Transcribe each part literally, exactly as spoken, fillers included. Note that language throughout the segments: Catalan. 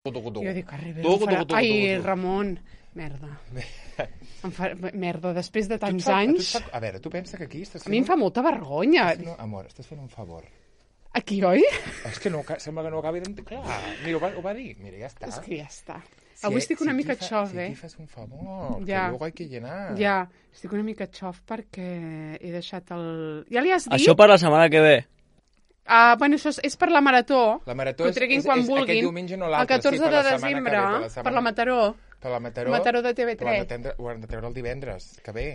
Jo dic, arriba, em farà... Ai, Ramon, merda. Em fa... Merda, després de tants fa, anys... Fa... A veure, tu pensa que aquí estàs fent... A mi em fa molta vergonya. No, amor, estàs fent un favor. Aquí, oi? És que no, sembla que no acabi d'entendre. Clar, mira, ho va, ho va dir. Mira, ja està. És que ja està. Si Avui estic una si mica xof, eh? Si aquí fas un favor, ja. que luego hay que llenar. Ja, estic una mica xof perquè he deixat el... Ja li has dit? Això per la setmana que ve. Uh, bueno, això és, és per la Marató. La Marató és, és, quan és vulguin. aquest diumenge no l'altre. El catorze sí, de desembre, ve, per, la per la Mataró. Per la Mataró. Mataró de T V tres. Ho han de treure el divendres, que ve.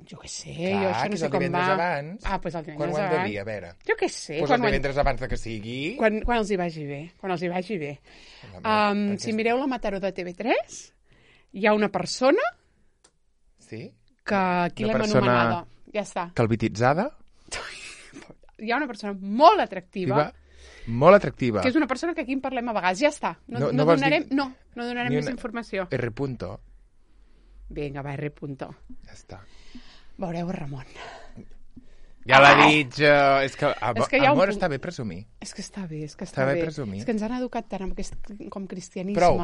Jo què sé, Clar, jo això no sé com va. Abans. Ah, doncs el divendres quan ho han de dir, a veure. Jo què sé. Pues el divendres quan... abans de que sigui... Quan, quan els hi vagi bé, quan els hi vagi bé. Um, si és... mireu la Mataró de T V tres, hi ha una persona sí? que aquí l'hem persona... anomenada. Ja està. Calvititzada? Hi ha una persona molt atractiva. Viva, molt atractiva. Que és una persona que aquí en parlem a vegades. Ja està. No, no, no, no donarem, dir... no, no donarem més una... informació. R. Punto. Vinga, va, R. Punto. Ja està. Veureu, Ramon. Ja l'ha dit jo. És que, a, és que amor, un... està bé presumir. És que està bé, és que està, està bé. bé presumir. És que ens han educat tant amb aquest com cristianisme. Prou.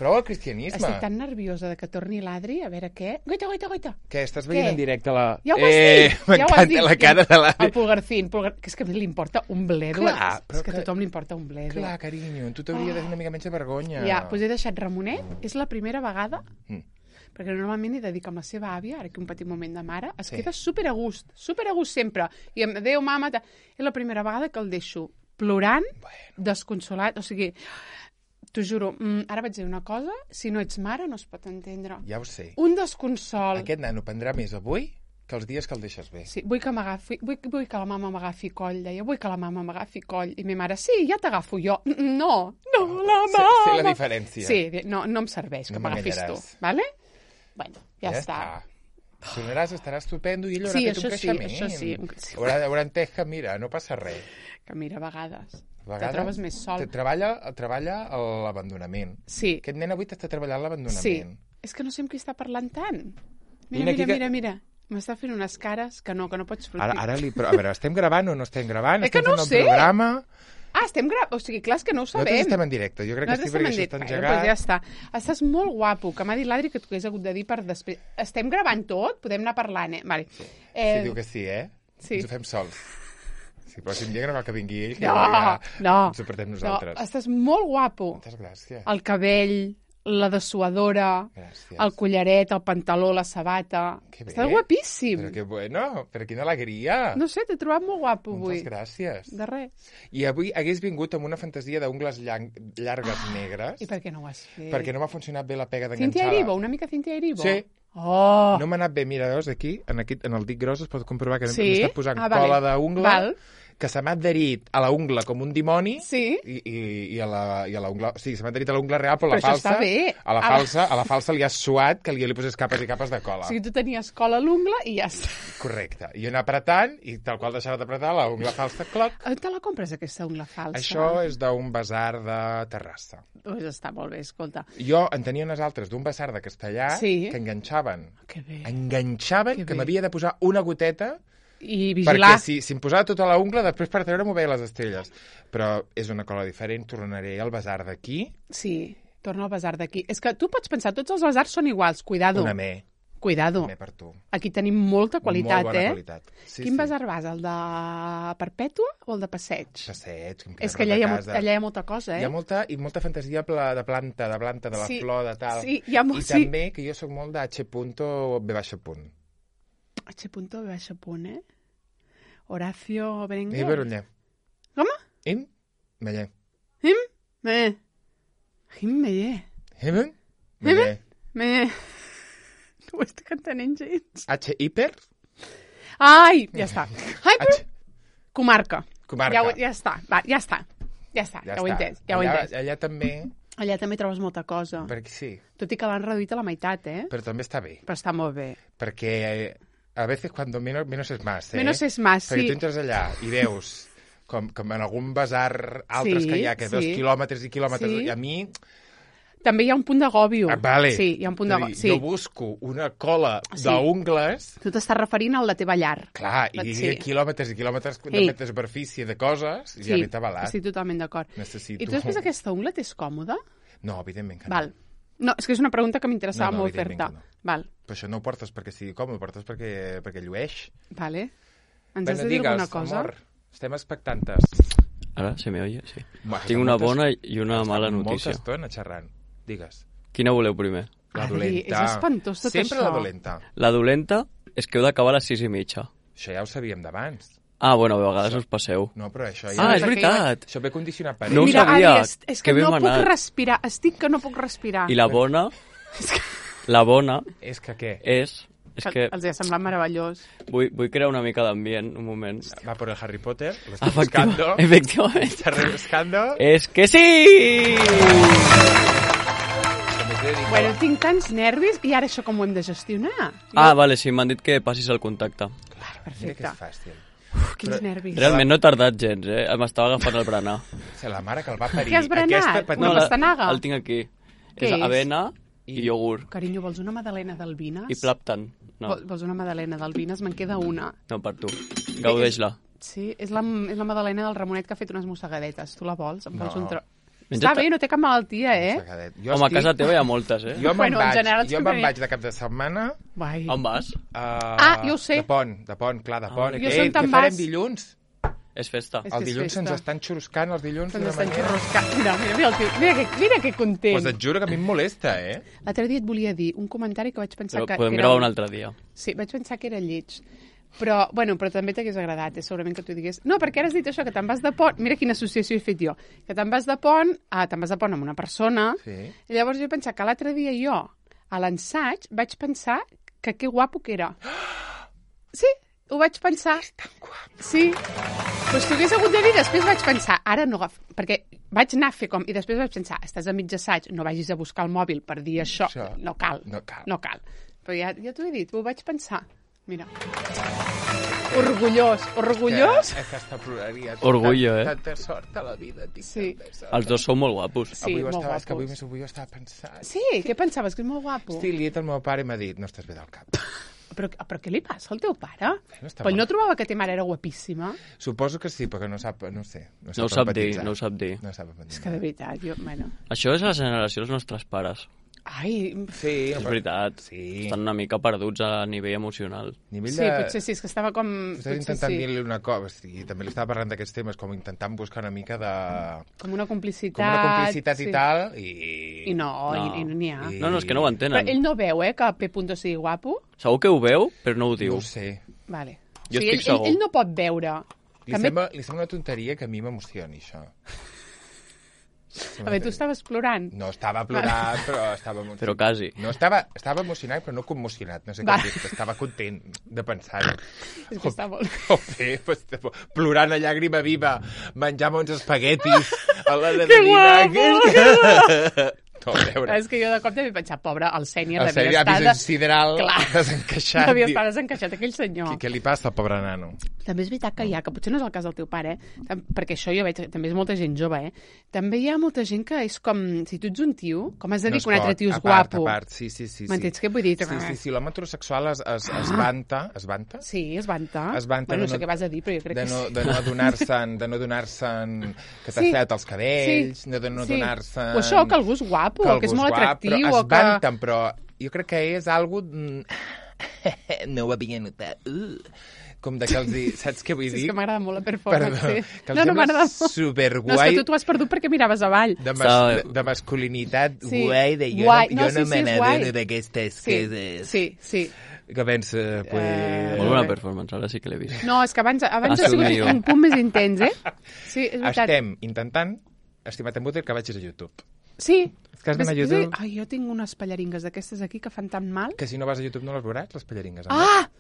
Prou el cristianisme. Estic tan nerviosa de que torni l'Adri, a veure què... Goita, goita, goita. Què, estàs veient què? En directe la... Ja ho has eh, dit. M'encanta ja la cara de l'Adri. El Pulgarcín, Pulgar... que és que li importa un bledo. Clar, és que a tothom li importa un bledo. Clar, carinyo, tu t'hauria oh. de fer una mica menys de vergonya. Ja, doncs he deixat Ramonet, és la primera vegada... Mm. Perquè normalment hi dedica amb la seva àvia, ara que un petit moment de mare, es sí. queda super a gust, super a gust sempre. I em adéu, mama... Ta... És la primera vegada que el deixo plorant, bueno. desconsolat, o sigui... T'ho juro, ara vaig dir una cosa, si no ets mare no es pot entendre. Ja ho sé. Un desconsol. Aquest nano prendrà més avui que els dies que el deixes bé. Sí, vull que m'agafi, vull, vull que la mama m'agafi coll, deia, vull que la mama m'agafi coll. I mi mare, sí, ja t'agafo jo. No, no, la mama. Sé, sé la diferència. Sí, no, no em serveix que no m'agafis tu, vale? Bueno, ja, ja està. està. Tornaràs, estaràs estupendo i ell haurà sí, fet un creixement. Sí, això sí, això sí. Haurà, haurà entès que, mira, no passa res. Que mira, a vegades... A vegades te trobes més sol. Treballa, treballa l'abandonament. Sí. Aquest nen avui t'està treballant l'abandonament. Sí. És que no sé amb qui està parlant tant. Mira, mira, mira, que... mira, mira. M'està fent unes cares que no, que no pots sortir. Ara, ara li... A veure, estem gravant o no estem gravant? És que no estem ho sé. Programa... Ah, estem gravant. O sigui, clar, és que no ho sabem. Nosaltres estem en directe. Jo crec que estic perquè això està engegat. Bueno, doncs ja està. Estàs molt guapo, que m'ha dit l'Adri que t'ho hagués hagut de dir per després. Estem gravant tot? Podem anar parlant, eh? Vale. Sí. Eh... sí, diu que sí, eh? Sí. Ens ho fem sols. Si el pròxim dia no cal que vingui ell, que no, ja no, ens ho portem nosaltres. No, estàs molt guapo. Moltes gràcies. El cabell, la dessuadora, gràcies. El collaret, el pantaló, la sabata. Estàs guapíssim. Però que bueno, però quina alegria. No sé, t'he trobat molt guapo avui. Moltes gràcies. De res. I avui hagués vingut amb una fantasia d'ungles llarg, llargues ah, negres. I per què no ho has fet? Perquè no m'ha funcionat bé la pega d'enganxada. Cintia Erivo, una mica Cintia Erivo? Sí. Oh. No m'ha anat bé, mira, veus, aquí, en, aquí, en el dit gros es pot comprovar que sí? m'està posant ah, cola vale. d'ungla. Val. Que se m'ha adherit a la ungla com un dimoni sí? i, i, i, a la, i a la ungla... Sí, se m'ha adherit a la ungla real, però, però la falsa... Però això està bé. A la, falsa, a la falsa li has suat que li, li poses capes i capes de cola. O sigui, tu tenies cola a l'ungla i ja està. Correcte. I anar apretant i tal qual deixava d'apretar la ungla falsa, cloc. On te la compres, aquesta ungla falsa? Això és d'un basar de Terrassa. Pues està molt bé, escolta. Jo en tenia unes altres d'un basar de Castellà sí? que enganxaven. Que bé. Enganxaven que, que m'havia de posar una goteta i vigilar. Perquè si, si em posava tota la ungla, després per treure m'ho veia les estrelles. Però és una cola diferent, tornaré al basar d'aquí. Sí, torna al basar d'aquí. És que tu pots pensar, tots els basars són iguals, cuidado. Una me. Cuidado. Una me per tu. Aquí tenim molta qualitat, Molt bona eh? qualitat. Sí, Quin sí. basar vas, el de Perpètua o el de Passeig? Passeig. És que allà hi, ha, allà hi ha molta cosa, eh? Hi ha molta, i molta fantasia de planta, de planta, de la sí, flor, de tal. Sí, hi ha molt, I sí. també que jo sóc molt de H. B baixa punt. H. B baixa punt, eh? Horacio Berenguer. I Beruller. Com? Im, Meller. Im, Meller. Im, Meller. Im, Meller. Meller. No ho estic entenent gens. H. Hiper. Ai, ja està. Hyper. H... Comarca. Comarca. Ja, ja està, va, ja està. Ja està, ja, ja ho he entès. Ja ho he allà, entès. allà també... Allà també trobes molta cosa. Perquè sí. Tot i que l'han reduït a la meitat, eh? Però també està bé. Però està molt bé. Perquè a veces cuando menos, menos es más, eh? Menos es más, Perquè sí. tu entres allà i veus, com, com en algun basar altres sí, que hi ha, que sí. dos quilòmetres i quilòmetres, sí. i a mi... també hi ha un punt d'agòbio. Ah, vale. Sí, hi ha un punt d'agòbio. Sí. Jo busco una cola Sí. d'ungles... Tu t'estàs referint a la teva llar. Clar, i Sí. quilòmetres i quilòmetres de Sí. metre de superfície de coses, i Sí, ja m'he tabalat. estic totalment d'acord. Necessito... I tu després aquesta ungla t'és còmoda? No, evidentment que no. Val. No, és que és una pregunta que m'interessava No, no, molt evidentment fer-te. que no. Val, Però això no ho portes perquè sigui còmode, ho portes perquè, perquè llueix. vale. Ens Bueno, has de dir digues, alguna cosa? amor, estem expectantes. Ara se me oye, sí. Bueno, Tinc una moltes- bona i una Està mala molta notícia. estona xerrant. Digues. Quina voleu primer? La Adri, dolenta. és espantós tot Sempre això. la dolenta. La dolenta és que heu d'acabar a les sis i mitja. Això ja ho sabíem d'abans. Ah, bueno, a vegades us passeu. No, però això ja... Ah, és perquè veritat! Això ve condicionat per No ho ell. Mira, sabia. Adri, és, és que, Que ben no puc manat. respirar. Estic que no puc respirar. I la bona... La bona És que què? és... És que Els ha semblat meravellós. vull, vull crear una mica d'ambient, un moment. Va por el Harry Potter, lo estoy Efectiva, buscando. efectivament. Está rebuscando. És que sí! Bueno, tinc tants nervis i ara això com ho hem de gestionar? Ah, vale, sí, m'han dit que passis el contacte. Mira que Perfecte. és fàcil. Uf, quins Però- nervis. Realment no he tardat gens, eh? M'estava agafant el berenar. És la mare que el va parir. Què has berenat? Aquesta petita... Una pastanaga? el tinc aquí. Què és és? avena i, I- iogurt. Carinyo, vols una magdalena d'albines? I plàptan. No, Vol- Vols una magdalena d'albines? Me'n queda una. no per tu. Gaudeix-la. Sí, és la, és la magdalena del Ramonet que ha fet unes mossegadetes. Tu la vols? Em vols No. un tro... Menja Està bé, no té cap malaltia, eh? Sacadet. Jo Home, a estic- casa teva hi ha moltes, eh? Jo me'n Bueno, en vaig, general jo sempre me'n hi- vaig de cap de setmana Vai. On vas? a... Ah, jo ho sé. De pont, de pont, clar, de pont. Ah, que, jo sé on què te'n farem vas. dilluns? És festa. És El que és dilluns se'ns festa. estan xuruscant els dilluns Se'ns d'una estan manera... xurroscant. Mira, mira, mira, el tio. Mira, que, mira que content. Pues et juro que a mi em molesta, eh? L'altre dia et volia dir un comentari que vaig pensar Però que... podem que gravar era... un altre dia. Sí, vaig pensar que era lleig. Però, bueno, però també t'hagués agradat, eh? Segurament que t'ho digués. No, perquè ara has dit això, que te'n vas de pont... Mira quina associació he fet jo. Que te'n vas de pont, ah, te'n vas de pont amb una persona, Sí. i llavors jo he pensat que l'altre dia jo, a l'ensaig, vaig pensar que que guapo que era. Sí, ho vaig pensar. Sí. Doncs t'ho hagués hagut de dir, després vaig pensar, ara no agaf... Perquè vaig anar a fer com... I després vaig pensar, estàs a mig assaig, no vagis a buscar el mòbil per dir això. Això. No cal. No cal. No cal. Però ja, ja t'ho he dit, ho vaig pensar. Mira. Orgullós. Orgullós? Que, aquesta ploraria. Orgullo, eh? Tanta sort a la vida, tinc Sí. tanta sort. Els dos sou molt guapos. Sí, avui ho molt estava, és que avui, guapos. avui ho estava pensant. Sí, què pensaves? Que és molt guapo. Estic liat, el meu pare m'ha dit, no estàs bé del cap. Però, però què li passa al teu pare? No està Però ell mal. no trobava que ta mare era guapíssima? Suposo que sí, perquè no sap, no ho sé. No, No ho sap dir, empatitzar. no ho sap dir. No sap empatitzar. És que de veritat, jo... Bueno... Això és la generació dels nostres pares. Ai, Sí, És veritat. Sí. Estan una mica perduts a nivell emocional. Nivell sí, de... potser sí, és que estava com... Estàs Potser intentant sí, dir-li una cosa, i també li estava parlant d'aquests temes, com intentant buscar una mica de... com una complicitat... Com una complicitat sí. i tal, i... I no, No. I, i no n'hi ha. I- No, no, és que no ho Però entenen. ell no veu, eh, que P. sigui guapo? Segur que ho veu, però no ho No diu. ho sé. Vale. Jo o sigui, estic ell, segur. ell, ell no pot veure. Li, També... sembla, li sembla una tonteria que a mi m'emocioni, això. A veure, tu estaves plorant. No estava plorant, però estava emocionat. Però quasi. No estava, estava emocionat, però no commocionat. No sé Va. com dir, estava content de pensar-ho. És que està molt... Joder, pues, plorant a llàgrima viva, menjant uns espaguetis a l'hora de Que dinar. guapo! No, a veure. És que jo de cop també he pensat, pobre, el Sènia El devia Sènia estar... havia sideral Clar. desencaixat. Devia Diu, estar desencaixat aquell senyor. Què, què li passa al pobre nano? També és veritat que hi ha, que potser no és el cas del teu pare, eh? Tam- perquè això jo veig, també és molta gent jove, eh? També hi ha molta gent que és com, si tu ets un tio, com has de dir es que un altre pot. tio és a part, guapo? A part, sí, sí, sí. M'entens sí. què vull dir? Sí, sí, sí, l'home heterosexual es, es, es vanta, es vanta? Sí, es vanta. Es vanta bueno, de no sé no- què vas a dir, però jo crec de que no, sí. de no adonar-se'n de no adonar-se'n que t'ha Sí. fet els cabells, Sí. de no Sí. adonar-se'n... O això, que algú és guapo, o que és algú molt guap, atractiu, però o es que... vanten, però jo crec que és algo... mm, no ho havia notat. Uh. Com de que els hi... Saps què vull Sí, dir? és que m'agrada molt la performance, Perdó, sí. que els No, no, sembla m'agrada molt. superguai. No, és que tu t'ho has perdut perquè miraves avall. de, mas, Estava- de, de masculinitat Sí. guai, de jo Guai. no, No, jo sí, no sí, me és n'adono guai. d'aquestes Sí, coses. sí, sí. Que pensa, pues... Eh, Molt bona bé. performance, ara sí que l'he vist. No, és que abans, abans Ha ha sigut sigut un punt més intens, eh? Sí, és veritat. Estem intentant, estimat en Buter, que vagis a YouTube. Sí. És que has d'anar a Ves- YouTube. Ai, jo tinc unes pallaringues d'aquestes aquí que fan tan mal. Que si no vas a YouTube no les veuràs, les pallaringues. Ah!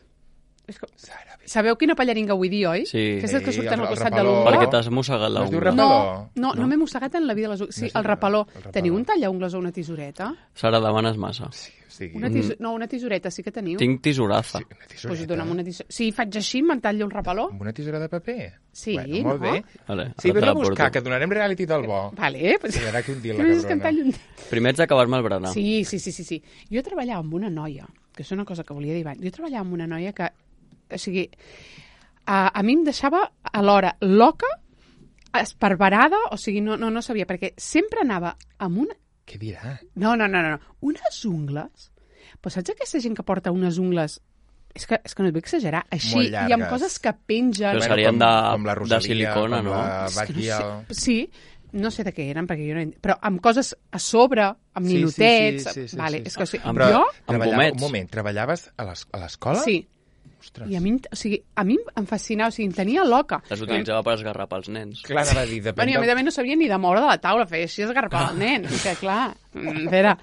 És que... Sara, bé. Sabeu quina pallaringa vull dir, oi? Sí. Aquestes que Sí, surten el- al el costat de rapaló. l'ungla. Perquè t'has mossegat No es diu l'ungla. No, rapaló? no, no, m'he mossegat en la vida les ungles. Sí, No és el el- rapaló. el rapaló. Teniu un tallaungles o una tisoreta? Sara, demanes massa. Sí, o sigui... Una tis... No, una tisoreta sí que teniu. Tinc tisoraza. Sí, una Doncs tisoreta. dona'm una tisoreta. Si faig així, me'n tallo el rapaló. Amb una tisora de paper? Sí, bueno, molt no? bé. Vale, Sí, ara te vés la a buscar, porto. que donarem reality del bo. Vale, pues... Sí, ara que un dia la Què més és que em cabrona. tallo un dit? Primer haig d'acabar-me el berenar. Sí, sí, sí, sí, sí. Jo treballava amb una noia, que és una cosa que volia dir abans. Jo treballava amb una noia que, o sigui, a, a mi em deixava alhora loca, esparverada, o sigui, no, no, no sabia, perquè sempre anava amb una... Què dirà? No, no, no, no, no. Unes ungles. Però saps aquesta gent que porta unes ungles... És que, és que no et vull exagerar. Així, Molt i amb llargues. coses que pengen... Però serien com, de- com la de Rosalia, silicona, com no? la És que no Batgirl. sé. Sí, no sé de què eren, perquè jo no... Però amb coses a sobre, amb Sí, sí, ninotets... sí, sí, sí, vale, sí. és que, o sigui, Amb- Però jo... Amb treballava, gomets. un moment, treballaves a l'es- a l'escola? Sí. Ostres. I a mi, o sigui, a mi em fascinava, o sigui, em tenia loca. Les utilitzava per esgarrapar els nens. Clar, anava a dir, depèn Bueno, i a del- més a més no sabia ni de moure de la taula, feia així esgarrapar el nen. Que clar, mm, espera,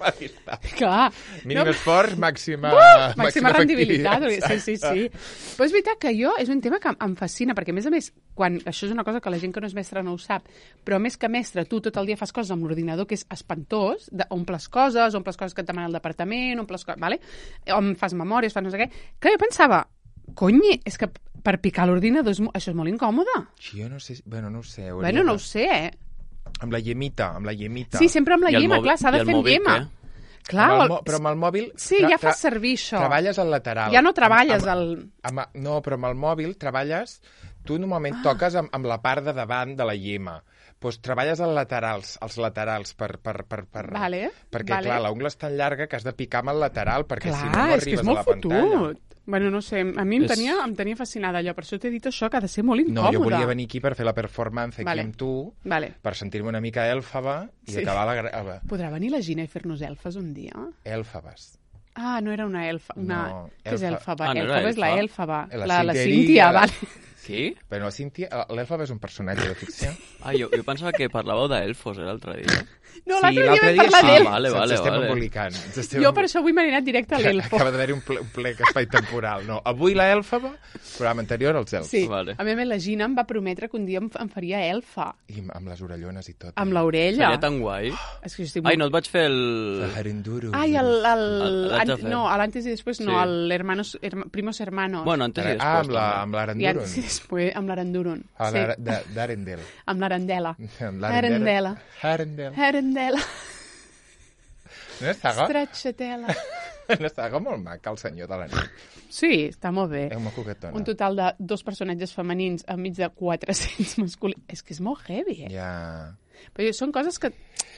clar. Mínim No, esforç, màxima, uh, màxima rendibilitat. efectivitat. Sí, sí, sí. Però és veritat que jo, és un tema que em fascina, perquè a més a més, quan, això és una cosa que la gent que no és mestra no ho sap, però més que mestre, tu tot el dia fas coses amb l'ordinador, que és espantós, de, omples coses, omples coses que et demana el departament, omples coses, vale? On fas memòries, fas no sé què. Que jo pensava, cony, és que per picar l'ordinador és mo- això és molt incòmode. Jo no sé, bueno, no ho sé. hauria Bueno, no de- ho sé, eh? Amb la llemita, amb la llemita. Sí, sempre amb la I el llima, mòbil- clar, s'ha de i el fer amb mòbil, llima. què? Clar, Amb el el- mo- però amb el mòbil... Sí, tra- ja tra- fas servir això. Treballes al lateral. Ja no treballes amb, al... amb, amb, no, però amb el mòbil treballes... Tu normalment ah. toques amb, amb la part de davant de la llima. Doncs treballes als laterals, als laterals per, per, per, per, Vale, perquè, vale. clar, l'ungla és tan llarga que has de picar amb el lateral, perquè Clar, si no, no és que arribes és a molt la pantalla. fotut. Bueno, no sé, a mi em És- tenia, em tenia fascinada allò, per això t'he dit això, que ha de ser molt No, incòmode. jo volia venir aquí per fer la performance aquí Vale. amb tu, Vale. per sentir-me una mica èlfaba i Sí. acabar la... gra- Podrà venir la Gina i fer-nos elfes un dia? Èlfabes. Ah, no era una elfa. Una... No, Què és elfa. elfaba? Ah, no era Elfaba és la elfa. elfaba. La La, la Cíntia Cíntia, Eri, vale. Qui? Però la Cíntia... L'èlfaba és un personatge de ficció. Ah, jo, jo pensava que parlàveu d'elfos, eh, l'altre dia. No, l'altre dia l'altre vam dia parlar sí. d'ell. Ah, vale, Ens vale, estem vale. embolicant. ens estem Jo per això avui m'he anat directe a l'elfo. Acaba d'haver-hi un, ple, un plec espai temporal. No, avui la èlfaba, programa anterior als elfs. Sí, Vale. a més la Gina em va prometre que un dia em, em faria elfa. I amb les orellones i tot. Amb l'orella. Seria tan guai. És que jo estic Ai, molt- no et vaig fer el... La Harenduru. Ai, el... el, El- l'haig de an- fer. no, l'antes i després no, Sí. el hermanos, herma, primos hermanos. Bueno, antes i després. Ah, amb la- també. amb I l'Arendurun. antes i després amb l'Arendurun. Ah, Sí, la- de- d'Arendel. amb l'Arendela. Amb Arendela. Arendel. Arendela. Una saga, Stracciatella. una saga molt maca, el senyor de la nit. Sí, està molt bé. És molt coquetona. Un total de dos personatges femenins enmig de quatre-cents masculins. És que és molt heavy, eh? Ja... Però són coses que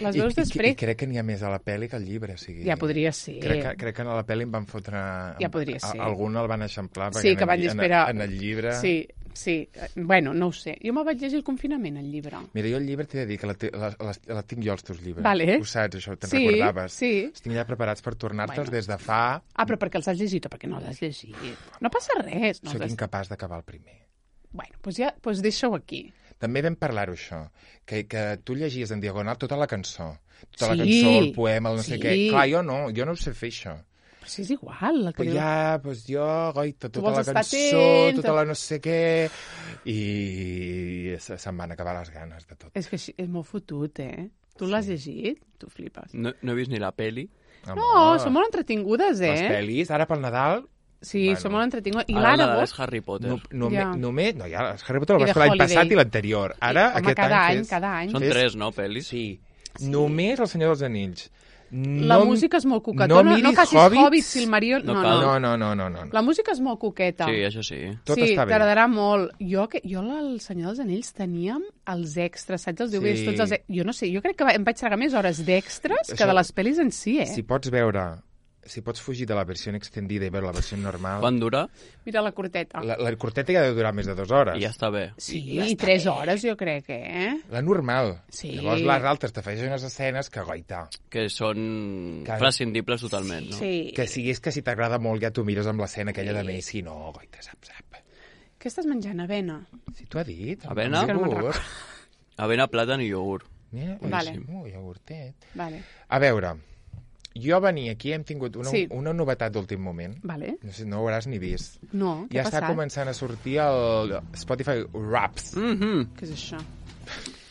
les I, veus i, I després... crec que n'hi ha més a la pel·li que al llibre. O sigui, Ja podria ser. Crec que, crec que a la pel·li em van fotre... Ja podria ser. A, algun el van eixamplar, perquè Sí, en que el van lli- dir, en, espera... en el llibre... Sí, sí. Bueno, no ho sé. Jo me'l vaig llegir al confinament, el llibre. Mira, jo el llibre t'he de dir que la, te- la, la, la tinc jo, els teus llibres. Vale. Ho saps, això, te'n Sí, recordaves. sí. Els tinc ja preparats per tornar-te'ls Bueno. des de fa... Ah, però perquè els has llegit o perquè no els has llegit? No passa res. No Soc els has... incapaç d'acabar el primer. Bueno, doncs ja, doncs deixa-ho aquí. També vam parlar-ho, això, que, que tu llegies en diagonal tota la cançó. Tota la Sí, cançó, el poema, el no sé sí. què. Clar, jo no, jo no ho sé fer, això. Però si és igual. El que Però diu- ja, doncs jo, goita, Tu tota vols la estar cançó, atent. tota la no sé què... I se- se'm van acabar les ganes de tot. És que així- és molt fotut, eh? Tu l'has llegit? Tu flipes. No, no he vist ni la peli. No, són molt entretingudes, Les eh? pel·lis, ara pel Nadal... Sí, Bueno. són molt entretingudes. I Ara el l'Àrabo... Nadal és Harry Potter. No, no, Ja. ja. només, no, ja, el Harry Potter el I vas The fer l'any Holiday. passat i l'anterior. Ara, Home, aquest cada any, any, fes... cada any. Són fes- tres, no, pel·lis? Sí. Només El Senyor dels Anells. La no, música és molt coquetona. No No, miris facis Hobbits. Hobbits, Silmarillion... No No, cal. no. No, no, no, no, no. La música és molt coqueta. Sí, això sí. Tot sí, està bé. t'agradarà molt. Jo, que, jo al Senyor dels Anells teníem els extras, saps? Els D V Ds, Sí. tots els... e- Jo no sé, jo crec que va- em vaig tragar més hores d'extras que Això- de les pel·lis en si, eh? Si pots veure, si pots fugir de la versió extendida i veure la versió normal... Quan dura? Mira la corteta. La, la corteta ja deu durar més de dues hores. I ja està bé. Sí, i tres hores, jo crec, eh? La normal. Sí. Llavors les altres t'afegeixen unes escenes que, goita, Que són Que- prescindibles totalment, no? Sí. que si és que si t'agrada molt ja t'ho mires amb l'escena aquella de més, si no, goita, sap, sap. Què estàs menjant, avena? Si t'ho ha dit. Avena? amb Que no me'n iogurt. Avena, plàtan i iogurt. Mira, Vale. boníssim. Ui, iogurtet. Vale. A veure, Jo venia aquí, hem tingut una, Sí. una novetat d'últim moment. Vale. No sé, no ho hauràs ni vist. No, què Ja ha està passat? començant a sortir el Spotify Wraps. Mhm. Què és això?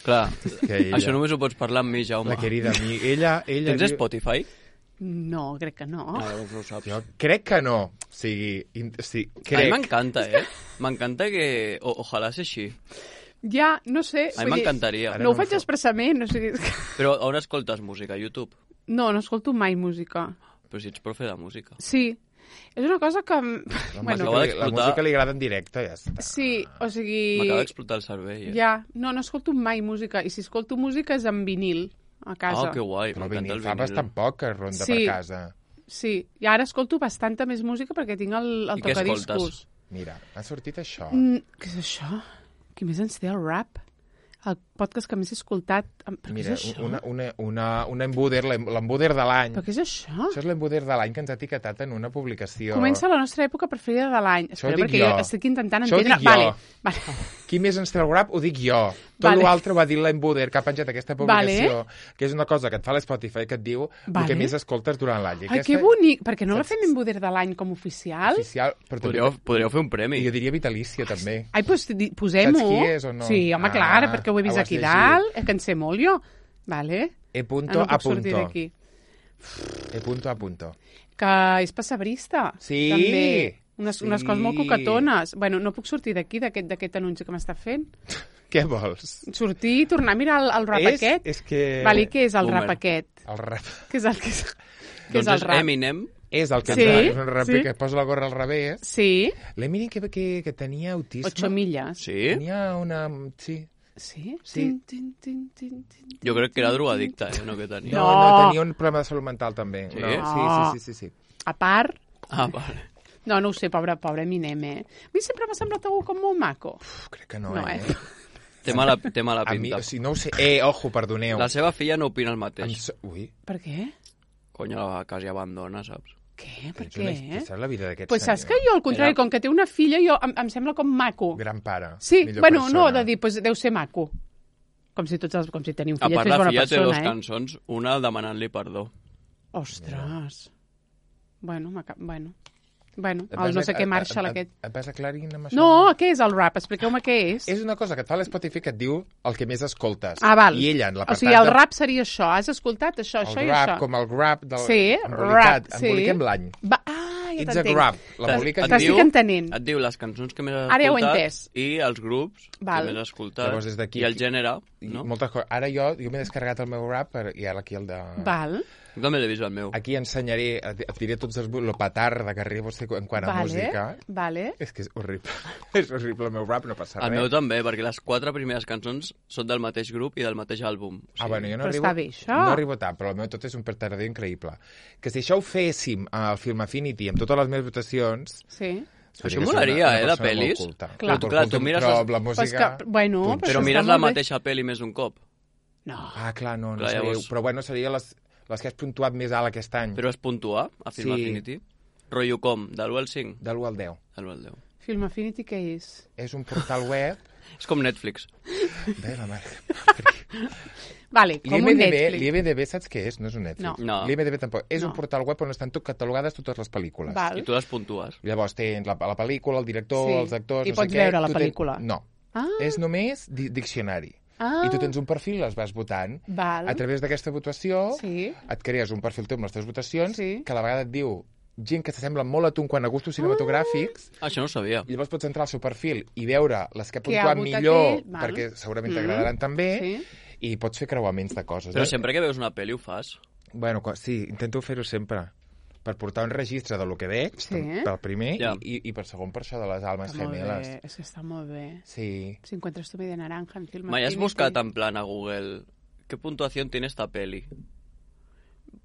Clar, Que ella, això només ho pots parlar amb mi, Jaume. la querida mi, ella... ella Tens diu- Spotify? No, crec que no. Ah, doncs no ho saps. Jo crec que no. O sigui, in, sí, A mi crec. m'encanta, eh? M'encanta que... O, ojalà sigui així. Ja, no sé. A mi m'encantaria. Ara No ho no faig em fa- expressament, o sigui... Però on escoltes música? A YouTube? No, no escolto mai música. Però si ets profe de música. Sí, és una cosa que... La, bueno, m'acaba música, li- la d'explotar. música li agrada en directe, ja està. sí, o sigui... M'acaba d'explotar el cervell, eh? Ja, no, no escolto mai música. I si escolto música és en vinil, a casa. Ah, que guai, Però m'encanta vinil, el fa vinil. bastant poc que ronda Sí. per casa. Sí, i ara escolto bastanta més música perquè tinc el, el I què tocadiscos. escoltes? Mira, ha sortit això. Mm, què és això? Qui més ens té el rap? El podcast que més he escoltat. Em- Però Mira, què és això? una, una, una, una embuder, l'em- l'embuder de l'any. Però què és això? Això és l'embuder de l'any que ens ha etiquetat en una publicació. Comença la nostra època preferida de l'any. Això ho Espera, dic perquè jo. jo estic intentant Això ho entendre... dic jo. Vale, vale. Qui més ens té el rap ho dic jo. Tot Vale. l'altre ho ha dit l'embuder que ha penjat aquesta publicació, Vale. que és una cosa que et fa l'Spotify que et diu Vale. el que més escoltes durant l'any. I Ai, aquesta que bonic! Perquè no la Saps? fem embuder de l'any com oficial? Oficial, però també... Podríeu, podríeu fer un premi. I jo diria vitalícia, també. Ai, doncs di- posem-ho. Saps qui és o no? Sí, home, Ah, clar, perquè ho he vist ho has aquí llegit. dalt, eh, que en sé molt jo. Vale. E Ah, punto no a puc sortir punto. d'aquí. E punto a punto. Que és passabrista. Sí, També. Unes, unes sí. coses molt coquetones. Bueno, no puc sortir d'aquí, d'aquest d'aquest anunci que m'està fent. Què vols? Sortir i tornar a mirar el, el rap és, aquest. És que... Vale, què és el Boomer. rap aquest? El rap... Què és el que és, què Doncs és el és rap? Eminem. És el que Sí, ens- és un raper sí. que posa la gorra al revés. Sí, L'Eminem que, que, que tenia autisme. ocho milles. Sí? Tenia una... Sí. Sí? Sí. Tin, tin, tin, tin, tin, Jo crec que era tin, drogadicte, eh? No que tenia. No, No. no, tenia un problema de salut mental, també. Sí? No, No. sí, sí, sí, sí, sí. A part... Ah, vale. No, no ho sé, pobre, pobre Eminem, eh? A mi sempre m'ha semblat algú com molt maco. Uf, crec que no, No, eh? eh? Té mala, té mala A mi, pinta. o sigui, no ho sé. Eh, ojo, perdoneu. La seva filla no opina el Em mateix. so... Ui, Per què? Conya, la quasi abandona, saps? Què? Per ets què? una... eh? saps la vida d'aquest Pues saps que senyor? jo, al contrari, Era- com que té una filla, jo em, em sembla com maco. Gran pare. Sí, millor bueno, persona. no, de dir, pues deu ser maco. Com si tots els, com si teniu A fillet part, és la bona filla té persona, dues eh? cançons, una demanant-li perdó. Ostres. Bueno, m'aca- bueno. Bueno, Et el vas no a- sé què et- Marshall et- aquest. Et vas aclarint amb això? No, què és el rap? Expliqueu-me què és. És una cosa que et fa l'Spotify que et diu el que més escoltes. Ah, val. I ella, en O l'apartat sigui, el de... rap seria això. Has escoltat això, això el i rap, això? com el grab del... Sí, embolicat, rap, sí. Emboliquem l'any. Va, ah, ja It's a t'entenc. grab. L'embolica... Et T'estic entenent. Et diu les cançons que més has Ara ja ho he escoltat entès. i els grups Val. que més has escoltat Llavors, des d'aquí- i el gènere, I no? moltes coses. Ara jo, jo m'he descarregat el meu rap per, i ara aquí el de... Val, Jo també l'he vist el meu. Aquí ensenyaré, et et diré tots els... lo petarda que arribo en quant a vale, música. vale. És que és horrible. és horrible el meu rap, no passa El res. meu també, perquè les quatre primeres cançons són del mateix grup i del mateix àlbum. O sigui, Ah, bueno, jo no Però arribo, està bé, això. no arribo tant, però el meu tot és un petardeo increïble. Que si això ho féssim al Film Affinity amb totes les meves votacions... Sí. Això que molaria, soc una- eh, una de persona molt pel·lis. culta. Clar. Culta, Clar, culta, tu mires però les- la Pues música... que, bueno, Punx. però, Però això mires està la molt bé. mateixa pel·li més d'un cop. No. Ah, clar, no, no Clar, sabia. llavors- Però bueno, seria les, les que has puntuat més alt aquest any. Però es puntua a Film Sí. Affinity? Rotllo com? De l'u al cinc? De l'u al deu. De l'u al deu. Film Affinity què és? És un portal web... És com Netflix. Bé, la mare. Vale, com un L'IMDB, Netflix. l'IMDB saps què és? No és un Netflix. No. No. L'IMDB tampoc. És No. un portal web on estan tot catalogades totes les pel·lícules. Val. I tu les puntues. Llavors tens la, la pel·lícula, el director, Sí. els actors... I no sé pots què. veure la Tu tens- pel·lícula. No. Ah, És només di diccionari. ah, I tu tens un perfil i les vas votant. Val. A través d'aquesta votació Sí. et crees un perfil teu amb les teves votacions Sí. que a la vegada et diu gent que s'assembla molt a tu en quant a gustos cinematogràfics. Ah, això no ho sabia. I llavors pots entrar al seu perfil i veure les que ha Què ha puntuat votat millor, ell, val. perquè segurament Mm. t'agradaran també, Sí. i pots fer creuaments de coses. Però eh? sempre que veus una pel·li ho fas. Bueno, co- sí, intento fer-ho sempre. Per portar un registre de lo que veig, Sí. per, per primer, Ja. i, i, i per segon per això de les almes Està molt gemeles. bé, és que està molt bé. Sí. Si encuentras tu media naranja en Film Mai has Affinity. buscat en plan a Google ¿qué puntuación tiene esta peli?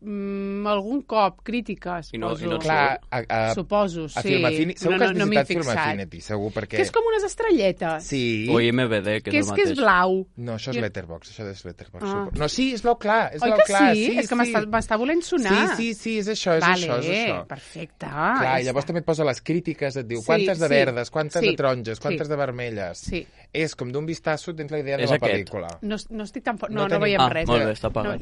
Mm, algun cop, crítiques, I no- poso. i no et Clar, a, a, Suposo, sí. a Film Affinity... Segur no, que has no, no m'hi he visitat Film fixat. Affinity, segur, perquè... Que és com unes estrelletes. Sí. O I M D B, que Que és és el que és mateix. blau. No, això és Jo- Letterboxd, això és Letterboxd. Ah. suposo. No, sí, és blau clar, és Oi blau que clar. sí? sí És que m'està sí. m'està volent sonar. Sí, sí, sí, és això, és vale, això, és això. perfecte. Clar, ja i llavors està. també et posa les crítiques, et diu Sí, quantes de sí. verdes, quantes Sí. de taronges, quantes Sí. de vermelles. Sí. És com d'un vistazo tens la idea de És la aquest. pel·lícula. No, no estic tan fort. No No, no, tenim- veiem Ah, res. molt eh? bé, està apagat.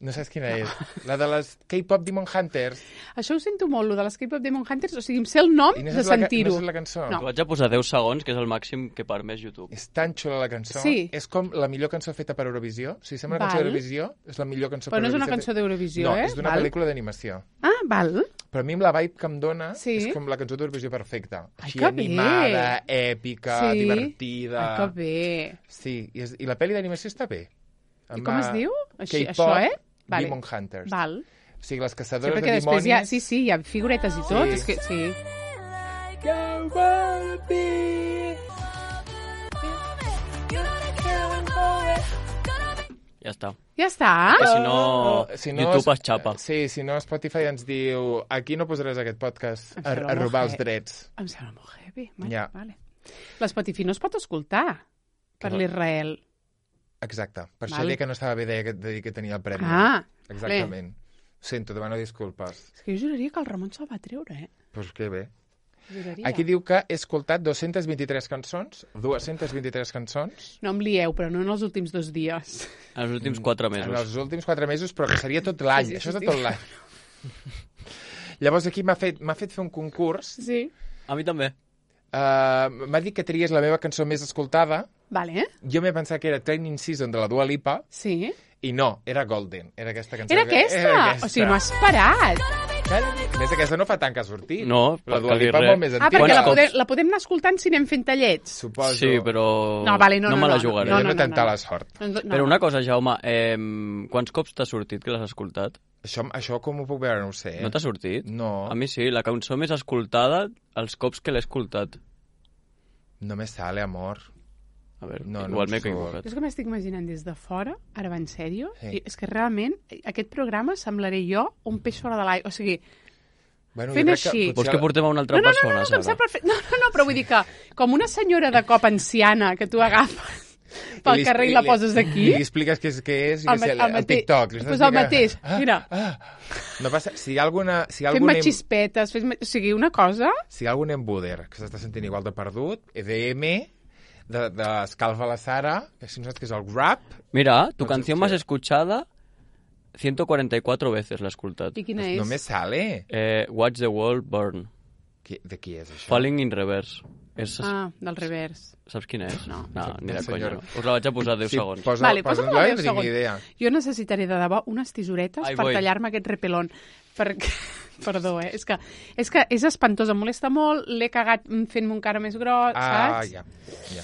No saps quina és? La de les K-pop Demon Hunters. Això ho sento molt, lo de les K-pop Demon Hunters, o sigui, em sé el nom I no de saps la ca- sentir-ho. no saps la cançó? No. T'ho vaig a posar deu segons, que és el màxim que permès YouTube. És tan xula la cançó. Sí. És com la millor cançó feta per Eurovisió. Si sembla una cançó Val. d'Eurovisió, és la millor cançó Però per no és una Eurovisió. cançó d'Eurovisió, no, eh? és d'una Val. pel·lícula d'animació. Ah, val. Però a mi amb la vibe que em dona Sí. és com la cançó d'Eurovisió perfecta. Ai, Així que bé. animada, èpica, Sí. divertida. Ai, que bé. Sí, i, és, i la pel·li d'animació està bé. I com es diu? Així, K-pop, això, eh? Vale. Demon Hunters. Val. O sigui, les Sí, caçadores perquè de després dimonis... hi ha... Sí, sí, hi ha figuretes i tot. Sí. És que, sí. Ja està. Ja està. Que si no, Si no YouTube es- es xapa. Sí, si no, Spotify ens diu aquí no posaràs aquest podcast Em a, sembla a molt robar els heavy. drets. Em sembla molt heavy. Vale, Ja. vale. L'Spotify no es pot escoltar per no? l'Israel. Exacte. Per això Val. deia que no estava bé de, de dir que tenia el premi. Ah, Exactament. Ho sento, demano disculpes. és que jo juraria que el Ramon se'l va treure, eh? Doncs pues que bé. Juraria. Aquí diu que he escoltat dos-centes vint-i-tres cançons, dos-centes vint-i-tres cançons, No em lieu, però no en els últims dos dies. En els últims quatre en mesos. els últims quatre mesos, però que seria tot l'any. Sí, sí, Això és sí, de sí. tot l'any. Llavors aquí m'ha fet, m'ha fet fer un concurs. Sí. A mi també. Uh, m'ha dit que tries la meva cançó més escoltada. Vale. Jo m'he pensat que era Training Season de la Dua Lipa, Sí. i no, era Golden. Era aquesta cançó. Era aquesta? Era aquesta. O sigui, no has parat. A més, aquesta no fa tant que ha sortit. No, la per Dua dir Lipa és res. molt més Ah, antiga. perquè Quants la cops? podem, la podem anar escoltant si anem fent tallets. Suposo. Sí, però No, vale, no, no, me la no, jugaré. No, no, no, no, no, tanta no. la sort. No, no, Però una cosa, Jaume, eh, quants cops t'ha sortit que l'has escoltat? Això, això com ho puc veure? No ho sé. No t'ha sortit? No. A mi sí, la cançó més escoltada els cops que l'he escoltat. No me sale, amor. A veure, No, no igual em m'he surt. equivocat. És que m'estic imaginant des de fora, ara va en sèrio, Sí. i és que realment aquest programa semblaré jo un peix fora de l'aigua. O sigui, Bueno, Fent jo crec així. Que Vols potser... que portem a una altra no, no, no, persona, no, no, que em Sara? sap perfecte. No, no, no, però vull dir que com una senyora de cop anciana que tu agafes pel li- carrer i la poses I aquí, li expliques què és, què és i El que sé, ma- el el, mateix. TikTok. Li estàs Pues el explicant- mateix, Ah, mira. Ah, no passa... Si hi ha alguna... Si hi ha fent algun, em... xispetes, fes... o sigui, una cosa... si hi ha algun embuder que s'està sentint igual de perdut, E D M, de, de Escalfa la Sara, que si no saps què és el rap, Mira, tu No sé canción què. más escuchada ciento cuarenta y cuatro veces l'he escoltat. I quina pues és? no me sale. Eh, Watch the World Burn. Qui, de qui és això? Falling in Reverse. És, Ah, del revers. Saps quina és? No. No, ni de El conya. senyor. No. Us la vaig a posar deu Sí, segons. posa, Vale, posa, posa-me posa, deu no tinc ni segons. idea. Jo necessitaré de debò unes tisoretes Ai, per voy. tallar-me aquest repelón. Perquè... Perdó, eh? És que, és que és espantós, em molesta molt, l'he cagat fent-me un cara més gros, Ah, saps? ja, ja.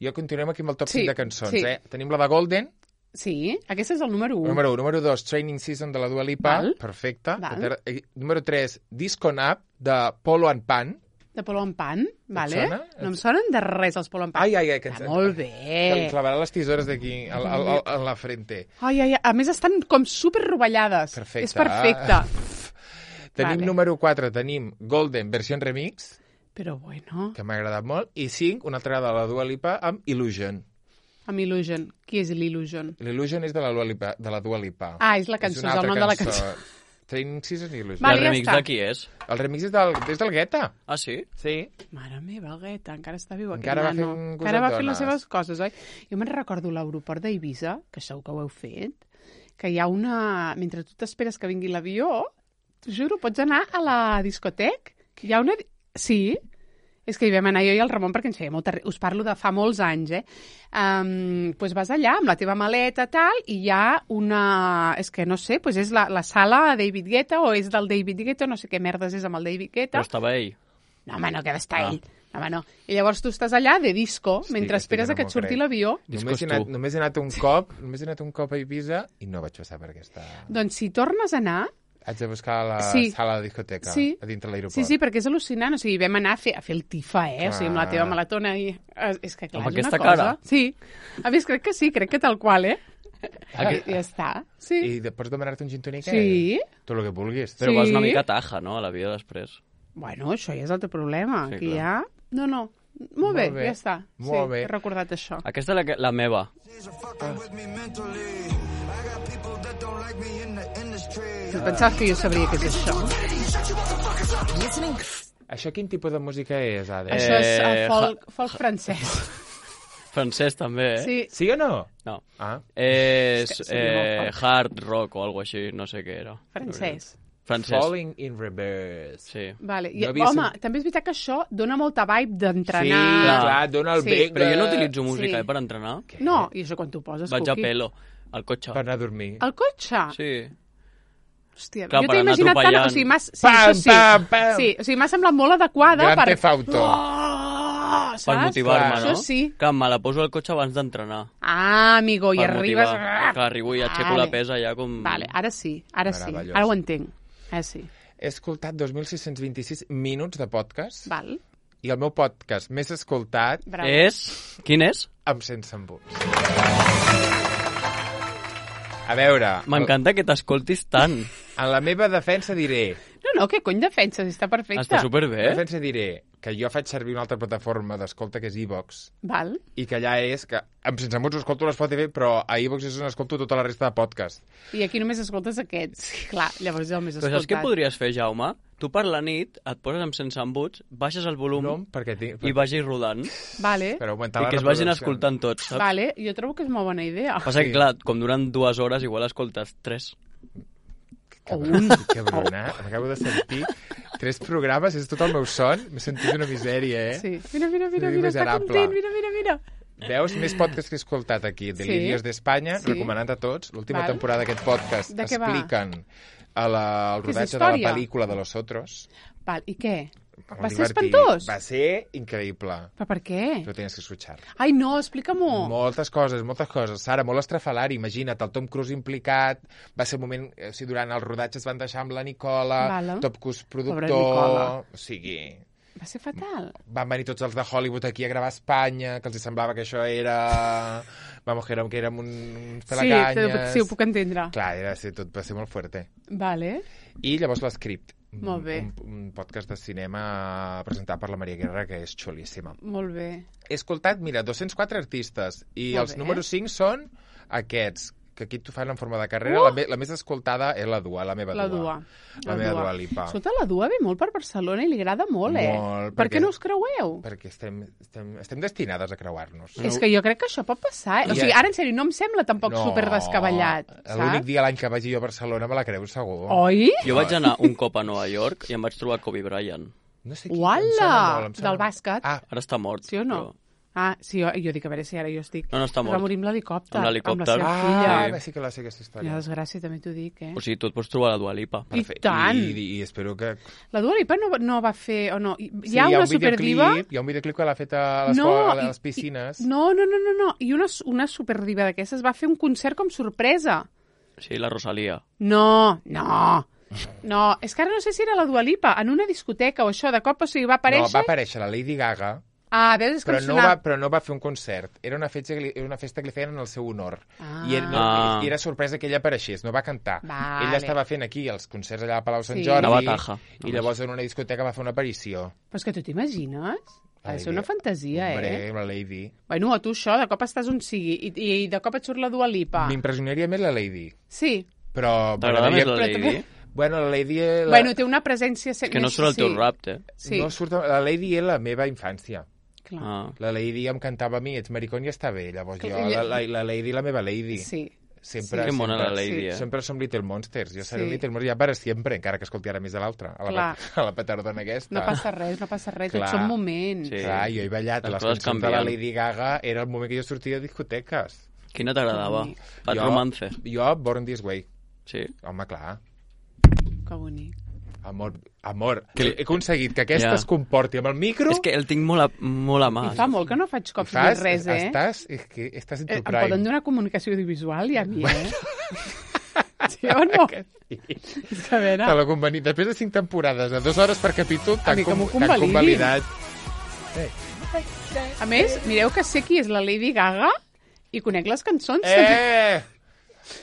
Jo continuem aquí amb el top Sí, cinc de cançons, sí. eh? Tenim la de Golden, Sí, aquest és el número un. número un. Número dos, Training Season de la Dua Lipa, Val. perfecte. Val. Eh, Número tres, Disco Nap de Polo and Pan. De Polo en Pan, vale? sona? No em sonen de res els Polo en Pan. Ai, ai, ai, que ens... Ah, molt Que bé. li clavarà les tisores d'aquí, a, a, a, a la frente. Ai, ai, ai, a més estan com super rovellades. Perfecte. És perfecte. Tenim Vale. número quatre, tenim Golden, versió en remix, Però bueno, que m'ha agradat molt, i cinc, una altra de la Dua Lipa amb Illusion. amb Illusion. Qui és l'Illusion? L'Illusion és de la Dua Lipa. De la Dua Lipa. Ah, és la cançó, és, una el altra nom de la cançó. Training Season i Illusion. Vale, el ja remix està. de qui és? El remix és del, és del Guetta. Ah, sí? Sí. Mare meva, el Guetta, encara està viu aquest Encara va nano. fent Encara va coses fent les dones. seves coses, oi? Jo me'n recordo l'aeroport d'Eivissa, que segur que ho heu fet, que hi ha una... Mentre tu t'esperes que vingui l'avió, t'ho juro, pots anar a la discotec, hi ha una... Sí, és que hi vam anar jo i el Ramon perquè ens feia molta... ri- Us parlo de fa molts anys, eh? Um, pues vas allà amb la teva maleta, tal, i hi ha una... És que no sé, pues és la, la sala David Guetta o és del David Guetta, no sé què merdes és amb el David Guetta. Però estava ell. No, home, no, que ha d'estar Ah. ell. No, home, no. I llavors tu estàs allà de disco, Estic- mentre estic esperes que a que no et m'ho surti crec. l'avió. Només Discos he, anat, tu. només he anat un cop, només he anat un cop a Eivissa i no vaig passar per aquesta... Doncs si tornes a anar... Haig de buscar la Sí. sala de discoteca Sí. a dintre l'aeroport. Sí, sí, perquè és al·lucinant. O sigui, vam anar a fer, a fer el tifa, eh? Clar. O sigui, amb la teva malatona i... eh, És que, clar, Amb és aquesta una cosa... cara? Sí. A més, crec que sí, crec que tal qual, eh? Aquí- Ja està. Sí. I de, pots demanar-te un gin tònic? Sí. Eh? Tot el que vulguis. Però Sí. vas una mica taja, no?, a la vida després. Bueno, això ja és el teu problema. Sí, Aquí clar. ja... No, no. Molt bé, Molt bé. ja està. Molt sí, bé. he recordat això. Aquesta és la, que- la meva. Tu pensaves que jo sabria què és això? Això quin tipus de música és, Ada? Eh, Això és el ja- folk, folk francès. Francès també, eh? Sí. Sí o no? No. Ah. És És que seria molt eh, fort. hard rock o alguna així, no sé què era. Francès. Francès. Falling in reverse. Sí. Vale. I, No havia home, sen- també és veritat que això dona molta vibe d'entrenar. Sí, Clar. clar, dona el Sí. bec Però de... jo no utilitzo música Sí. eh, per entrenar. No, i això quan t'ho poses, Vaig a Cuqui. pelo, al cotxe. Per anar a dormir. El cotxe? Sí. Hòstia, Clar, jo per t'he anar imaginat tant... atropellant. O sigui, m'has... Sí, Pam, això sí. pam, pam. Sí, o sigui, m'ha semblat molt adequada Gran per... Theft Auto. Oh, Per saps? motivar-me, Clar. no? Això sí. Clar, me la poso al cotxe abans d'entrenar. Ah, amigo, i Per arribes... motivar. Clar, arribo i aixeco Vale. la pesa ja com... Vale, ara sí, ara sí. Meravellós. Ara ho entenc. Ara sí. He escoltat dos mil sis-cents vint-i-sis minuts de podcast Val. i el meu podcast més escoltat Bravo. És... Quin és? amb Sense Embuts. A veure, M'encanta que t'escoltis tant. en la meva defensa diré... No, no, que cony defenses, està perfecte. Està En superbé. defensa diré que jo faig servir una altra plataforma d'escolta que és iVox Val. i que allà és que amb Sense Embuts ho escolto a l'Spotify, però a iVox és on escolto tota la resta de podcast. I aquí només escoltes aquests. Clar, llavors és el més Però escoltat. saps què podries fer, Jaume? Tu per la nit et poses amb sense embuts, baixes el volum No, perquè tinc... i vagis rodant. Vale, Per augmentar I la que es vagin reproducció. escoltant tots, saps? vale, jo trobo que és molt bona idea. Passa que, clar, com duren dues hores, igual escoltes tres. O un. Que bruna, m'acabo de sentir tres programes, és tot el meu son, m'he sentit una misèria, eh? Sí. Mira, mira, mira, Sí, mira, està miserable. content, mira, mira, mira. Veus més podcasts que he escoltat aquí, Delirios Sí. d'Espanya, Sí. recomanant a tots. L'última Val. temporada d'aquest podcast De què va? expliquen a la, el Que és rodatge de la història? pel·lícula de Los Otros. Val, i què? Molt Va ser divertit. espantós? Va ser increïble. Però per què? Lo tienes que escuchar. Ai, no, explica-m'ho. Moltes coses, moltes coses. Sara, molt estrafalari, imagina't, el Tom Cruise implicat, va ser un moment, eh, o sigui, durant el rodatge es van deixar amb la Nicola, Vale. Top Cruise Pobra productor, Nicola. o sigui... Va ser fatal. Van venir tots els de Hollywood aquí a gravar a Espanya, que els semblava que això era... Vamos, que érem, que érem un, uns Sí, pelacanyes. sí, ho puc entendre. Clar, era, sí, tot va ser molt fuerte. Vale. I llavors l'Script. Molt bé. Un, un podcast de cinema presentat per la Maria Guerra, que és xulíssima. Molt bé. He escoltat, mira, dos-cents quatre artistes, i Molt els bé. números cinc són aquests, que aquí t'ho fan en forma de carrera. Uh! La, me, la més escoltada és la Dua, la meva La Dua. Dua. La meva Dua Lipa. Escolta, la Dua ve molt per Barcelona i li agrada molt, eh? Molt, Per perquè- què no us creueu? Perquè estem, estem, estem destinades a creuar-nos. És que jo crec que això pot passar, eh? O I- sigui, ara, en sèrio, no em sembla tampoc super descabellat, L'únic saps? dia a l'any que vagi jo a Barcelona me la creu segur. Oi? Jo vaig anar un cop a Nova York i em vaig trobar Kobe Bryant. No sé qui, em Uala! sona molt, em sona Del molt. bàsquet. Ah, Ara està mort. Sí o no? però- Ah, sí, jo, jo dic, a veure si ara jo estic... No, no, està Es va mort. morir amb l'helicòpter. Amb l'helicòpter. Amb la seva ah, filla. sí. sí que la sé aquesta història. Quina desgràcia, també t'ho dic, eh? O sigui, tu et pots trobar la Dua Lipa. I tant. I, i, I espero que... La Dua Lipa no, no va fer... O no, hi Sí, ha una un superdiva... videoclip, hi ha un videoclip que l'ha fet a les, No, a i- les piscines. I, no, no, no, no, no. I una, una superdiva d'aquestes va fer un concert com sorpresa. Sí, la Rosalia. No, no. No, és que ara no sé si era la Dua Lipa, en una discoteca o això, de cop, o sigui, va aparèixer... No, va aparèixer la Lady Gaga, Ah, veus, és que però em no, sonava... va, però no va fer un concert. Era una festa que li, era una festa que li feien en el seu honor. Ah. I, era, no, Ah. I era sorpresa que ella apareixés, no va cantar. Vale. Ella estava fent aquí els concerts allà a Palau Sant Sí. Jordi. Anava a Taja, I només. llavors en una discoteca va fer una aparició. Però és que tu t'imagines? Ha de ser Lady- una fantasia, Hombre, eh? la Lady. Bueno, a tu això, de cop estàs on sigui, i, i de cop et surt la Dua Lipa. M'impressionaria més la Lady. Sí. Però... T'agrada més la Però Lady? també- Bueno, la Lady... La... Bueno, té una presència... És que no surt el teu rap, eh? Sí, No surt... La Lady és la meva infància. clar. Ah. La Lady em cantava a mi, ets maricón i està bé. Llavors jo, Ella- la, la, la Lady, la meva Lady. Sí. Sempre, Que mona sempre, la Lady, sí. eh? Sempre som Little Monsters. Jo seré Sí. Little Monsters ja per sempre, encara que escolti ara més de l'altra, a, la Clar. a la petardona aquesta. No passa res, no passa res, Clar. tots són moments. Sí. Clar, jo he ballat Les les coses cançons de la canvien. Lady Gaga, era el moment que jo sortia de discoteques. Quina t'agradava? bonic. Bad Jo- Romance. Jo, Born This Way. Sí. Home, clar. Que bonic. Amor, amor. Que li- He aconseguit que aquesta Ja. es comporti amb el micro. És que el tinc molt a, molt a mà. I fa molt que no faig i cops fas, ni res, eh? Estàs, és que estàs en Eh, tu em prime. poden donar comunicació audiovisual i a mi, eh? Sí o no? Sí. És que a veure... Te l'ho convenit. Després de cinc temporades, de dues hores per capítol, A t'han mi que com, m'ho t'han convalidin. convalidat. A més, mireu que sé qui és la Lady Gaga i conec les cançons. Eh!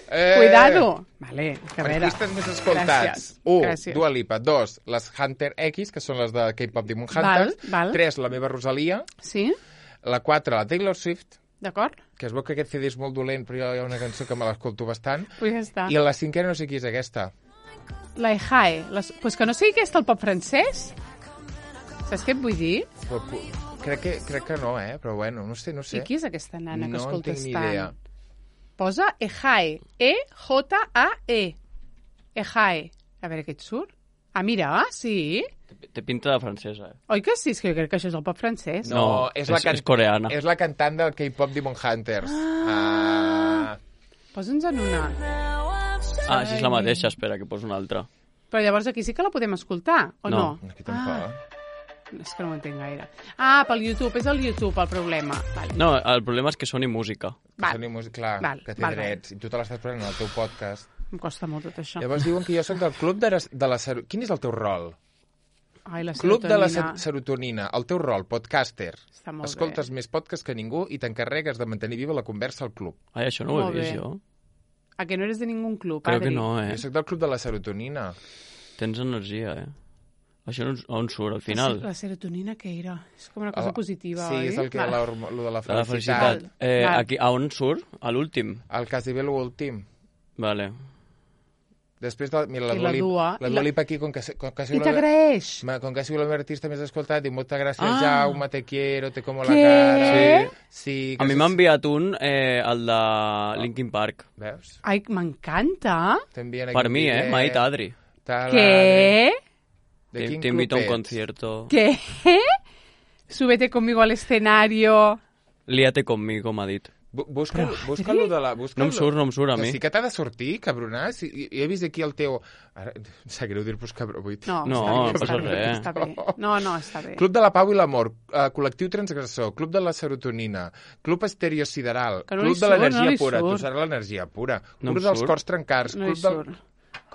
eh! Cuidado. Vale, que a veure... Artistes més escoltats. Gràcies. Un, Gràcies. Dua Lipa. Dos, les Hunter X, que són les de K-pop Demon Val, Hunters. val. Tres, la meva Rosalia. Sí? La quatre, la Taylor Swift, D'acord? que es veu que aquest C D és molt dolent, però hi ha una cançó que me l'escolto bastant. Pues ja està. I la cinquena no sé qui és aquesta. La Ejae. Les... Pues que no sigui aquesta el pop francès? Saps què et vull dir? Però, pu- crec que, crec que no, eh? Però bueno, no sé, no sé. I qui és aquesta nana que no escoltes tinc ni tant? idea. Posa Ejae. E J A E. Ejae. A veure què et surt. Ah, mira, ah, sí. Té pinta de francesa, eh? Oi que sí? És que jo crec que això és el pop francès. No, No, és, la és- can... és coreana. És la cantant del K-pop Demon Hunters. Ah. Posa'ns en una. Ah, si és la mateixa, espera, que poso una altra. Però llavors aquí sí que la podem escoltar, o no? No. Aquí tampoc. Ah, és que no ho entenc gaire. Ah, pel YouTube, és el YouTube el problema. Vale. No, el problema és que soni música. Val. Soni música, clar, Val, que té val, drets. I tu te l'estàs prenent al teu podcast. Em costa molt tot això. Llavors diuen que jo sóc del club de, de la... Ser... Quin és el teu rol? Ai, la Club de la serotonina. ser- serotonina. El teu rol, podcaster. Està molt Escoltes bé. més podcasts que ningú i t'encarregues de mantenir viva la conversa al club. Ai, això no ho he Molt vist, bé. jo. A que no eres de ningú club, Crec Adri? que no, eh? Jo sóc del club de la serotonina. Tens energia, eh? Això on, on surt, al final? La serotonina què era? És com una cosa El- positiva, sí, oi? és el que Val. la, hormo- lo de la De la felicitat. felicitat. Eh, Val. aquí, a on surt? A l'últim? El quasi bé l'últim. Vale. Després, de, mira, la I la Dua Lipa, Dua, la i Dua la- Lipa aquí, com que, se- com que ha I sigut la, t'agraeix. ma- com que ha sigut la meva artista més escoltat, diu, moltes gràcies, Ah. Jaume, te quiero, te como la Què? cara. Sí. Sí, A mi que m'ha se- enviat un, eh, el de Linkin Park. Veus? Ai, m'encanta. T'envien aquí Per un mi, eh? bitllet, M'ha dit Adri. tal, Què? De Te, quin te invito a un club ets? concierto. Què? Súbete conmigo al escenario. Líate conmigo, m'ha dit. Bu- Busca, busca lo de la... Busca No em surt, no em surt a Que mi. sí que t'ha de sortir, cabronà. Si, jo he vist aquí el teu... Ara, em sap greu dir-vos cabró, vull... No, No, està no bé, passa està bé, res. està bé. No, no, està bé. Club de la Pau i l'Amor, uh, Col·lectiu Transgressor, Club de la Serotonina, Club Estereo Sideral, Que no li Club de surt, l'Energia no li Pura, tu surt. serà l'energia pura, No Club em dels surt. Cors Trencats, No hi Club del... surt.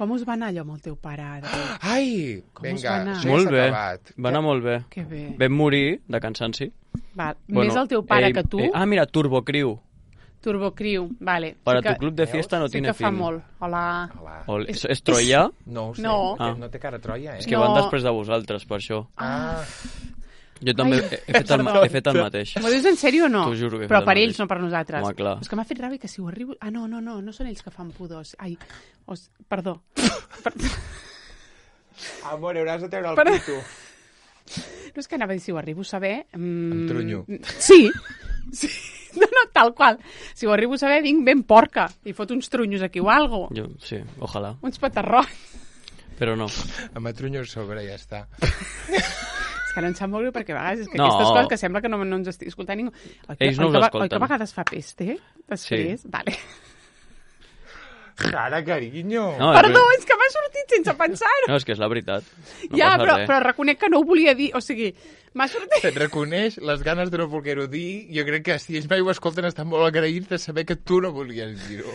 Com us va anar allò amb el teu pare, Adri? Ai, Com us vinga, va anar? això ja Molt s'ha bé. acabat. Va anar molt bé. Que bé. Vam morir de cansanci. Val. Més el teu pare eh, que tu, eh, ah, mira, Turbocriu. Turbocriu, vale. Para sí que, tu club de fiesta no sí tiene que fa fin. molt. Hola. Hola. O, és, és Troia? No ho sé, No. no, Ah. no té cara a Troia, eh? És que No. van després de vosaltres, per això. Ah, Jo també Ai, he, he, fet el, perdó. he fet el mateix. M'ho dius en sèrio o no? T'ho juro que he Però fet el per mateix. ells, no per nosaltres. Home, clar. És que m'ha fet ràbia que si ho arribo... Ah, no, no, no, no són ells que fan pudors. Ai, os... perdó. Per... amor, hauràs de treure el Però- pito. No és que anava a dir si ho arribo a saber... Mm... Em trunyo. Sí. sí. No, no, tal qual. Si ho arribo a saber, vinc ben porca i fot uns trunyos aquí o algo. Jo, sí, ojalà. Uns petarrons. Però no. Em atrunyo a sobre, ja està. És que no em sap molt greu perquè a vegades és que No. aquestes coses que sembla que no, no ens estigui escoltant ningú. Oi que, Ells no oi us que, va- escolten. Oi que a vegades fa peste? Després? Sí. Vale. Cara, carinyo. No, Perdó, és que m'ha sortit sense pensar-ho. No, és que és la veritat. No ja, passa però, res. però reconec que no ho volia dir. O sigui, m'ha sortit... Et reconeix les ganes de no voler-ho dir. Jo crec que si ells mai ho escolten estan molt agraïts de saber que tu no volies dir-ho.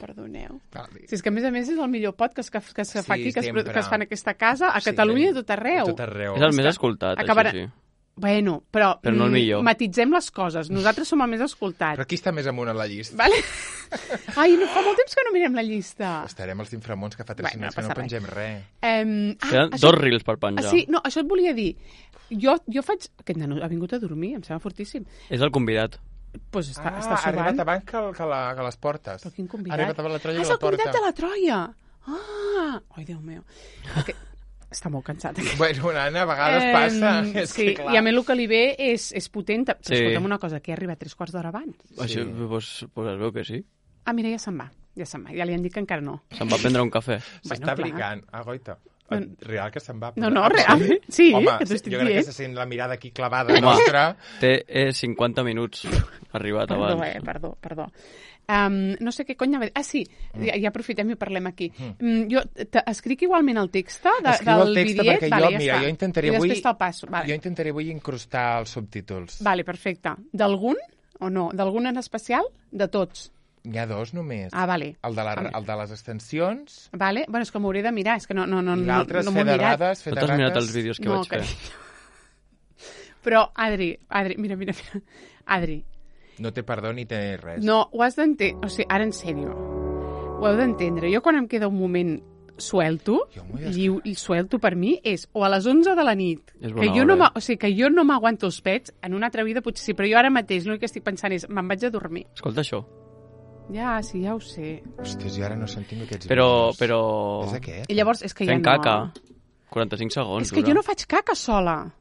Perdoneu. Vale. Si és que, a més a més, és el millor podcast que, que es fa Sí, aquí, que es, sempre. que es fa en aquesta casa, a Sí, Catalunya i a tot arreu. A tot arreu. És el més que escoltat, acabarà- això sí. Bueno, però, Però no el mm, millor. matitzem les coses. Nosaltres som el més escoltat. Però qui està més amunt a la llista? Vale? Ai, no, fa molt temps que no mirem la llista. Estarem als inframons que fa tres Bueno, no setmanes que no passa pengem res. Um, ah, Tenen això- dos reels per penjar. Ah, sí, no, això et volia dir. Jo, jo faig... Aquest nano ha vingut a dormir, em sembla fortíssim. És el convidat. Doncs pues està, ah, està ha arribat sobant. abans que, el- que, la, que les portes. Però quin Ha convidat? arribat abans la Troia ah, que és la el convidat porta. de la Troia. Ah! Ai, Déu meu. Que... Està molt cansat. Aquest. Bueno, nana, a vegades passa. Em, És sí, que, clar. i a mi el que li ve és, és potent. Però Sí. escolta'm una cosa, que ha arribat tres quarts d'hora abans. Això, pues, pues es veu que sí. Ah, mira, ja se'n va. Ja se'n va. Ja li han dit que encara no. Se'n va prendre un cafè. S'està Bueno, clar. brigant. Ah, goita. No. Real que se'n va. No, no, Ah, real. Sí, Home, que t'ho estic jo crec que dient. se sent la mirada aquí clavada Home. nostra. Té eh, cinquanta minuts arribat Perdó, abans. eh, perdó, perdó. Um, no sé què cony anava a dir. Ah, sí, ja, ja aprofitem i parlem aquí. Mm. Jo t- escric igualment el text de, Escriu del el text bitllet. perquè vale, jo, ja mira, està. jo intentaré I avui... després te'l passo. Vale. Jo intentaré avui incrustar els subtítols. Vale, perfecte. D'algun o no? D'algun en especial? De tots. N'hi ha dos només. Ah, vale. El de, la, Vale. el de les extensions Vale? Bueno, és que m'hauré de mirar, és que no, no, no, i no, l'altre és no m'ho fer he de mirat. dades, fer No de t'has mirat rates. els vídeos que No, vaig fer? carinyo. Però, Adri, Adri, mira, mira, mira. Adri, No té perdó ni té res. no, ho has d'entendre. O sigui, ara en sèrio. Ho heu d'entendre. Jo quan em queda un moment suelto, Jo m'ho he lliu, i suelto per mi és o a les onze de la nit, És que bona jo, no hora, m'a- o sigui, que jo no m'aguanto els pets, en una altra vida potser sí, però jo ara mateix l'únic que estic pensant és me'n vaig a dormir. Escolta això. Ja, sí, ja ho sé. Hòstia, jo ara no sentim aquests Però, vídeos. però... És aquest? I llavors és que Fent ja no... caca. quaranta-cinc segons, És que dura. jo no faig caca sola.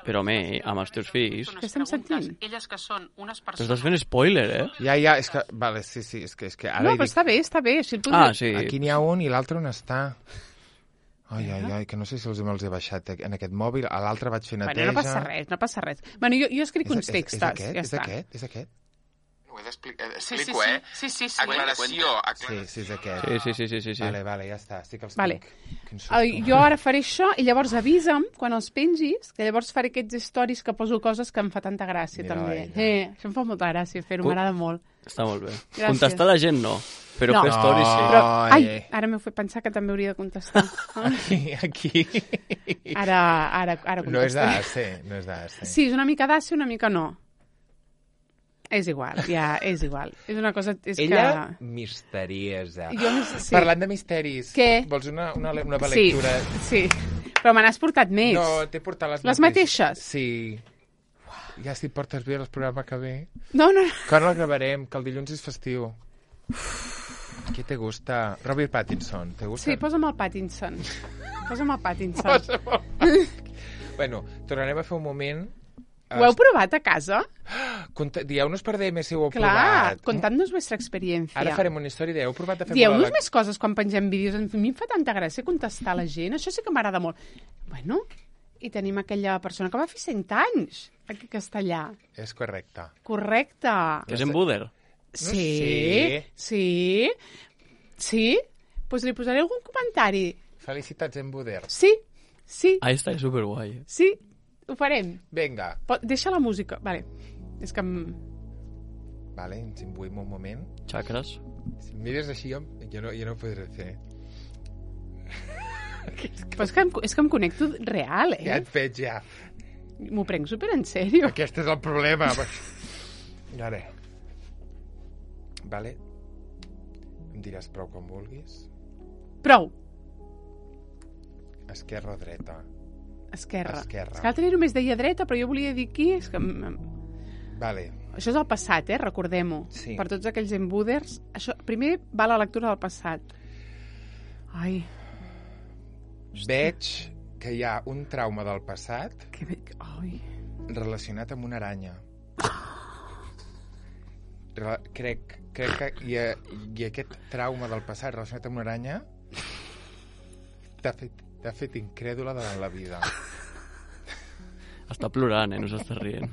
Però, home, amb els teus fills... Què estem sentint? Elles que són unes T'estàs persones... fent spoiler, eh? Ja, ja, és que... Vale, sí, sí, és que, és que ara No, hi però dic, està bé, està bé. Si el puc Ah, dir- sí. aquí n'hi ha un i l'altre on està. Ai, ai, ai, que no sé si els me'ls he baixat en aquest mòbil. A l'altre vaig fer neteja. Bueno, no passa res, no passa res. Bueno, jo, jo escric És, uns és, textos, és aquest? ja és està. aquest? És aquest? Ho he d'explicar, Sí, sí, explico, sí. eh? Sí, sí, sí. Aclaració, aclaració. Sí, sí, és aquest. Sí, sí, sí, sí, sí, sí. Vale, vale, ja està, sí que els Vale. tinc. Quin susto. Uh, jo ara faré això i llavors avisa'm quan els pengis, que llavors faré aquests stories que poso coses que em fa tanta gràcia, Mira també. ella. Eh, això em fa molta gràcia fer-ho, Ui. m'agrada molt. Està molt bé. Gràcies. Contestar la gent no, però No. fer stories sí. Però, Ai. ai, ara m'heu fet pensar que també hauria de contestar. Aquí, aquí. Ara, ara, ara No és contestaré. d'A C, no és d'A C. Sí, és una mica d'àcia, una mica no. És igual, ja, és igual. És una cosa... És Ella, que... misteriosa. Jo, sí. Parlant de misteris, Què? vols una, una, una nova Sí, lectura? sí. Però me n'has portat més. No, t'he portat les, Les mateixes? Sí. Ja si portes bé el programa que ve. No, no, no. Quan el gravarem? Que el dilluns és festiu. Què te gusta? Robert Pattinson, te gusta? Sí, posa'm el Pattinson. Posa'm el Pattinson. Posa'm el Pattinson. Bueno, tornarem a fer un moment... Ho heu provat a casa? Conta... Dieu-nos per D M si ho heu Clar, provat. contad-nos vuestra experiencia. Ara farem una història de heu provat a fer Dieu-nos molt més coses quan pengem vídeos. A mi em fa tanta gràcia contestar a la gent. Això sí que m'agrada molt. Bueno, i tenim aquella persona que va fer cent anys aquí a Castellà. És correcte. Correcte. Que és en Buder. Sí, sé. sí, sí. Doncs pues li posaré algun comentari. Felicitats en Buder. Sí, sí, Ah, està superguai. sí, ho farem. Vinga. Pot, deixa la música. Vale. És que... em- Vale, ens imbuïm un moment. Xacres. Si em mires així, jo, jo, no, jo no ho podré fer. Però és que, em, és que em connecto real, Ja eh? et veig, ja. M'ho prenc super en sèrio. Aquest és el problema. Ara. Vale. Em diràs prou quan vulguis. Prou. Esquerra o dreta? Esquerra. Esquerra. És que l'altre dia només deia dreta, però jo volia dir aquí... És que... em- em- Vale. Això és el passat, eh? Recordem-ho. Sí. Per tots aquells embuders. Això, primer va la lectura del passat. Ai, Veig que hi ha un trauma del passat que... bé- Ai. relacionat amb una aranya. Re crec, crec que i, i aquest trauma del passat relacionat amb una aranya t'ha fet, t'ha fet incrèdula davant la vida. Està plorant, eh? No s'està rient.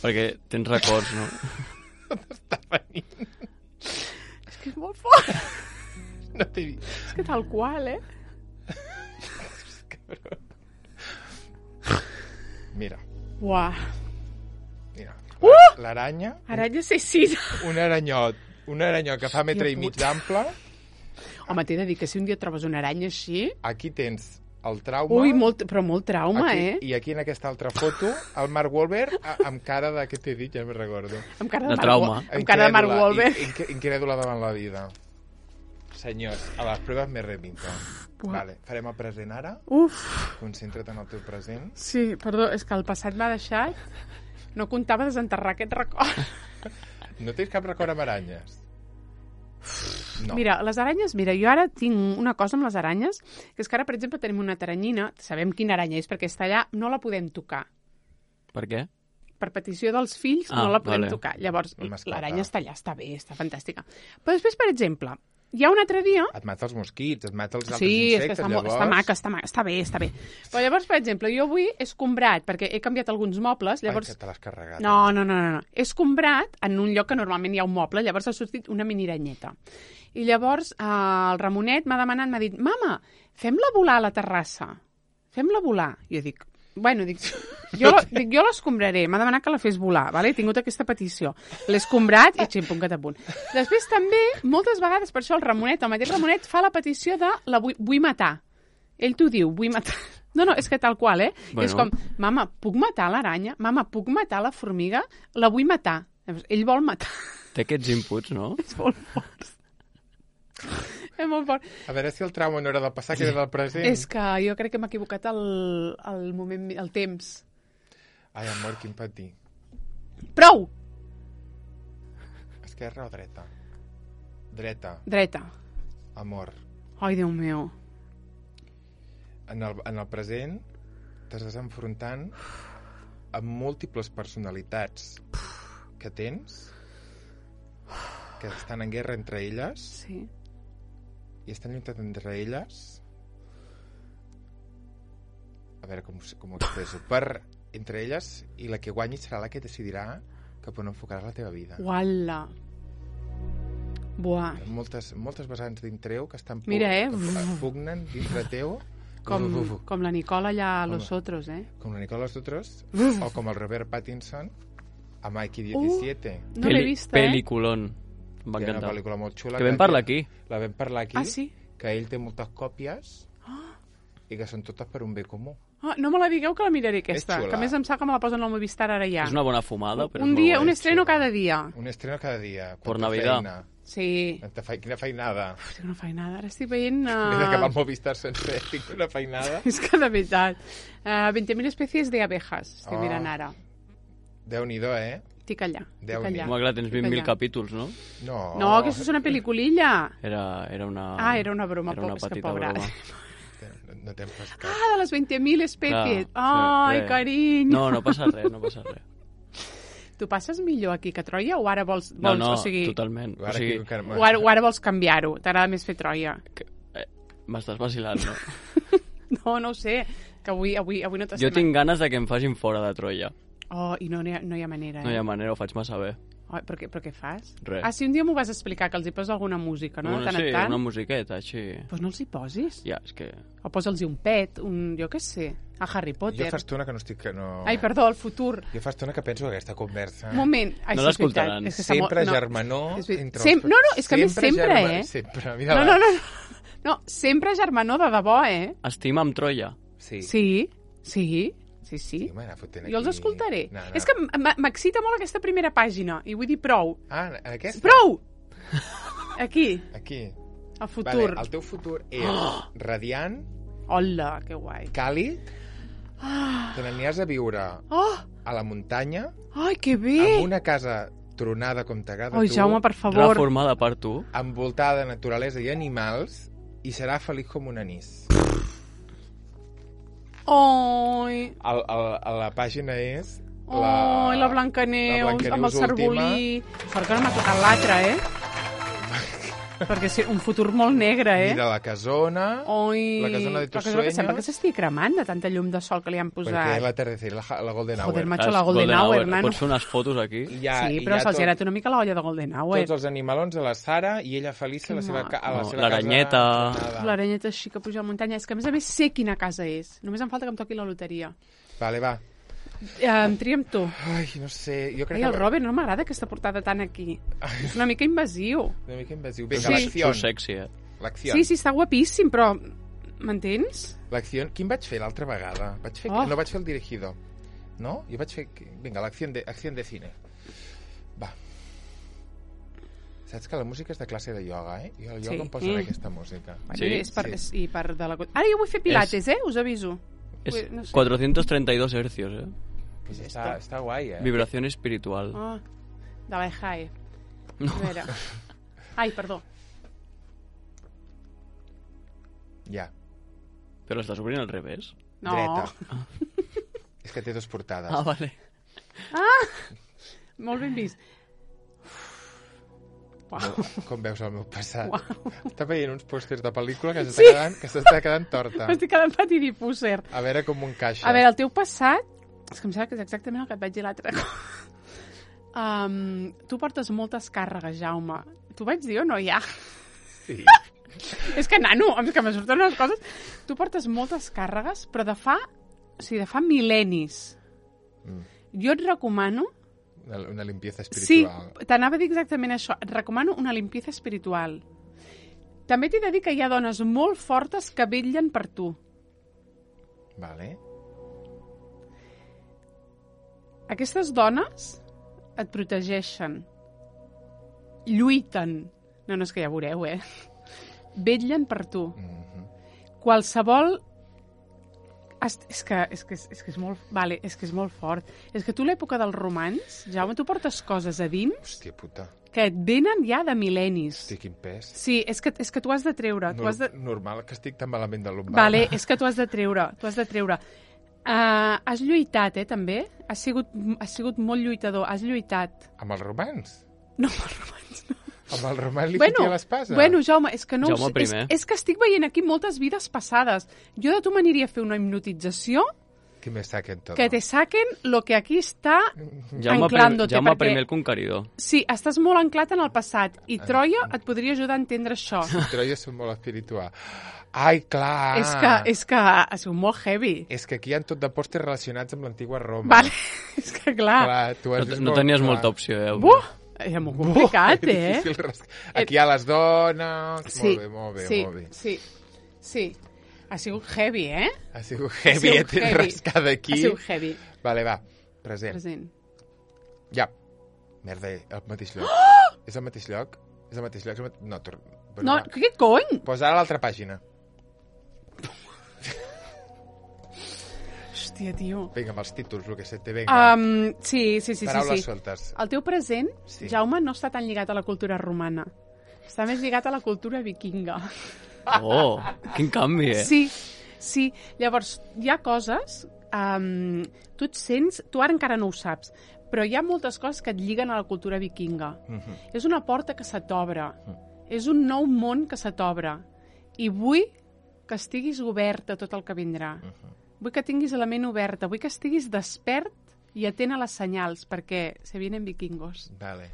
Perquè tens records, no? Està venint. És que és molt fort. No t'he dit. És que tal qual, eh? Mira, Uah. mira. Uh! L'aranya, Aranya assassina. un aranyot, un aranyot que fa metre i mig d'ample. Home, t'he de dir que si un dia trobes una aranya així... Aquí tens el trauma. Ui, molt, però molt trauma, aquí, eh? I aquí en aquesta altra foto, el Mark Wahlberg a- amb cara de... Què t'he dit? Ja me'n recordo. Amb cara De de, Mark trauma. Wa- Amb cara de Mark Incrèdula, Wahlberg. in- in- Incrèdula davant la vida. Senyors, a les proves me remito. Buah. Vale, farem el present ara. Uf, Concentra't en el teu present. sí, perdó, és que el passat m'ha deixat... No comptava desenterrar aquest record. No tens cap record amb aranyes? No. Mira, les aranyes, mira, jo ara tinc una cosa amb les aranyes, que és que ara, per exemple, tenim una taranyina, sabem quina aranya és, perquè està allà, no la podem tocar. Per què? Per petició dels fills, Ah, no la podem vale. tocar. Llavors, La mascota. l'aranya està allà, està bé, està fantàstica. Però després, per exemple, hi ha un altre dia... Et mata els mosquits, et mata els altres Sí, és que insectes, està, molt, llavors... està maca, està, maca, està bé, està bé. Però llavors, per exemple, jo avui he escombrat, perquè he canviat alguns mobles, llavors... Ai, que te l'has carregat. No, no, no, no, no. He escombrat en un lloc que normalment hi ha un moble, llavors ha sortit una miniranyeta. I llavors eh, el Ramonet m'ha demanat, m'ha dit, mama, fem-la volar a la terrassa. Fem-la volar. I jo dic, bueno, dic, jo, la- dic, jo l'escombraré. M'ha demanat que la fes volar, vale? He tingut aquesta petició. L'he escombrat i ximpunt que t'apunt. Després també, moltes vegades, per això el Ramonet, el mateix Ramonet, fa la petició de la vull, vull matar. Ell t'ho diu, vull matar. No, no, és que tal qual, eh? Bueno. És com, mama, puc matar l'aranya? Mama, puc matar la formiga? La vull matar. Llavors, ell vol matar. Té aquests inputs, no? És molt fort. És molt fort. A veure si el trauma no era del passat, que era del present. És que jo crec que m'he equivocat el, el moment, el temps. Ai, amor, quin patir. Prou! Esquerra o dreta? Dreta, Dreta. amor. Ai, Déu meu. En el, en el present, t'estàs enfrontant amb múltiples personalitats que tens, que estan en guerra entre elles, Sí. i estan lluitant entre elles, a veure com, com ho expreso, per entre elles, i la que guanyi serà la que decidirà cap on enfocaràs la teva vida. Uala. Buah. Moltes, moltes vessants dintre teu que estan pu- Mira, eh? que pugnen dintre teu, Com, uf, uf, uf. com la Nicola allà a Home. Los Otros, eh? com la Nicola Los Otros, Uf. o com el Robert Pattinson a Mikey diecisiete. No l'he Peli- vista, eh? Peliculón. Em va que és una encantar. pel·lícula molt xula. Que vam parlar aquí. La vam parlar aquí. Ah, sí? Que ell té moltes còpies i que són totes per un bé comú. Ah, no me la digueu que la miraré aquesta, xula. que a més em sap que me la posen al Movistar ara ja. És una bona fumada, però un és dia, molt un bona. estreno xula. cada dia. Un estreno cada dia. Por Quanta Navidad. Feina. Sí. Quanta fe... Quina feinada. Uf, tinc una feinada. Ara estic veient... M'he d'acabar el Uh... Movistar sencer. Tinc una feinada. És que de veritat. Uh, veinte mil especies de abejas. Estic Oh. mirant ara. Déu-n'hi-do, eh? Estic allà. Estic Déu-n'hi. allà. Home, clar, tens vint mil Allà. capítols, no? No. No, aquesta és una pel·liculilla. Era, era una... Ah, era una broma, Era una po- és que petita pobra. broma. No, no t'hem pescat. Ah, de les veinte mil especies. Clar, Ai, sí, res. carinyo. No, no passa res, no passa res. Tu passes millor aquí que a Troia o ara vols... No, vols no, o sigui, totalment. O Ara sigui, aquí encara- o ara, o ara vols canviar-ho? T'agrada més fer Troia? que, eh, m'estàs vacilant, no? No, no ho sé. Que avui, avui, avui no t'estem... Jo tinc ganes de que em facin fora de Troia. Oh, i no, no, hi ha, no hi ha manera, eh? No hi ha manera, ho faig massa bé. Oh, però, què, però què fas? Res. Ah, sí, un dia m'ho vas explicar, que els hi posa alguna música, no? De tant sí, en tant. una musiqueta, així... Doncs pues no els hi posis. Ja, és que... O posa'ls un pet, un... jo què sé, a Harry Jo Potter. fa estona que no estic... Que no... Ai, perdó, el futur. Jo fa estona que penso que aquesta conversa... Un moment. Ai, No sí, és l'escoltaran. veritat. És que està Sempre molt- germanor És ver- entre Sem... els- No, no, és que a més sempre, germa- eh? Sempre, mira No, no, no, no. No, sempre germanor de debò, eh? Estima amb Troia. Sí. Sí, sí, sí, sí. Sí, m'anava fotent Jo els aquí. escoltaré. No, no. És que m- m'excita molt aquesta primera pàgina, i vull dir prou. Ah, en aquesta? Prou! Aquí, Aquí. el futur. Vale, el teu futur és radiant, Hola, que guai. càlid, Ah, te n'aniries a viure oh, a la muntanya, ai, que bé! amb una casa tronada com t'agrada Ai, tu, Jaume, per favor. Reformada per tu. envoltada de naturalesa i animals, i serà feliç com un anís. Ai, El, el, el, la pàgina és... ai, la Blancaneus, la Blancaneus amb el cervolí. Sort que no m'ha tocat l'altre, eh? Perquè sí, un futur molt negre, eh? Mira la casona, Ai, la casona de tus la casona que sembla que sueños. s'estigui cremant de tanta llum de sol que li han perquè posat. és l'atardecer, la, la Golden Hour. Joder, macho, la Golden Hour, nano. Pots fer unes fotos aquí? I hi ha, Sí, i però hi ha se'ls tot- ha anat una mica la olla de Golden Hour. tots els animalons a la Sara i ella feliç a la Que seva, ca- a la maco. seva L'aranyeta. casa. tronada. L'aranyeta així que puja a la muntanya. És que a més a més sé quina casa és. Només em falta que em toqui la loteria. Vale, va. Eh, em tria amb tu. Ai, no sé, jo crec Ai, el que... Robert, no m'agrada aquesta portada tan aquí. És una mica invasiu. Una mica invasiu. Vinga, Sí. l'acció. Sou sexy, eh? L'acció. Sí, sí, està guapíssim, però... M'entens? L'acció. Quin vaig fer l'altra vegada? Vaig fer... Oh. No vaig fer el dirigido. No? Jo vaig fer... Vinga, l'acció de, acció de cine. Va. Saps que la música és de classe de ioga, eh? Jo al ioga Sí. em posen Mm. aquesta música. Bueno, Sí, és per, sí. és, i per de la... Ara jo vull fer pilates, eh? Us aviso. És Ui, no sé. cuatrocientos treinta y dos hercios, eh? Pues està, està guai, eh? Vibración espiritual. Oh, de la E J A E. A veure. Ai, perdó. Ja. Però l'estàs obrint al revés? No. Dreta. És que té dos portades. Ah, vale. Molt ben vist. Uau. Com veus el meu passat? Uau. Està veient uns pòsters de pel·lícula que s'està sí. quedant, que s'està quedant torta. M'estic quedant patidifúser. A veure com ho encaixa. A veure, el teu passat... És que em sembla que és exactament el que et vaig dir l'altre cop. Um, tu portes moltes càrregues, Jaume. T'ho vaig dir o no, ja? Sí. És que, nano, és que me surten unes coses... Tu portes moltes càrregues, però de fa... O sigui, de fa mil·lennis. Mm. Jo et recomano... Una, una limpieza Sí, espiritual. t'anava a dir exactament això. Et recomano una limpieza espiritual. També t'he de dir que hi ha dones molt fortes que vetllen per tu. Vale. Aquestes dones et protegeixen, lluiten, no, no és que ja veureu, eh? Vetllen per tu. Mm-hmm. Qualsevol... És, és, que, és, que, és, que és, molt, vale, és que és molt fort. És que tu l'època dels romans, Jaume, tu portes coses a dins Hòstia puta. que et venen ja de mil·lennis. Hosti, quin pes. Sí, és que, és que tu has de treure. Tu Nor has de... Normal que estic tan malament de lumbar. Vale, és que tu has de treure, tu has de treure. Uh, has lluitat, eh, també? Has sigut, has sigut molt lluitador, has lluitat. Amb els romans? No, amb els romans, no. Amb el roman li Bueno, fotia l'espasa? bueno, Jaume, és que no... Jaume ho sé, és, primer. és que estic veient aquí moltes vides passades. Jo de tu m'aniria a fer una hipnotització Que me saquen tot. que te saquen lo que aquí està Jaume, prim, anclándote. Jaume perquè, primer el conqueridor. sí, estàs molt anclat en el passat i Troia et podria ajudar a entendre això. Troia són molt espiritual. Ai, clar! És que, és que ha sigut molt heavy. És que aquí hi ha tot de postres relacionats amb l'antigua Roma. Vale, és que clar... Clar, tu has No, vist no molt tenies clar. molta opció, eh? Buh! Era molt complicat, Buh, eh? difícil ras- Aquí hi ha les dones... Sí, Molt bé, molt bé, sí, molt bé. sí, sí. Ha sigut heavy, eh? Ha sigut heavy, sigut eh? Tens heavy. rascada aquí. Ha sigut heavy. Vale, va, present. Present. Ja. Merda, el mateix lloc. És el mateix lloc? És el mateix lloc? És el mate... No, tor... bueno, No, va. què cony? Posa ara l'altra pàgina. Hòstia, tio. Vinga, amb els títols, el que se te venga. Um, sí, sí, sí, sí, Paraules sí. soltes. El teu present, Sí. Jaume, no està tan lligat a la cultura romana. Està més lligat a la cultura vikinga. Oh, quin canvi, eh? Sí, sí. Llavors, hi ha coses... Um, tu et sents... Tu ara encara no ho saps, però hi ha moltes coses que et lliguen a la cultura vikinga. Mhm. És una porta que se t'obre. És un nou món que se t'obre. I vull que estiguis obert a tot el que vindrà. Vull que tinguis la ment oberta. Vull que estiguis despert i atent a les senyals, perquè se vienen vikingos. Vale.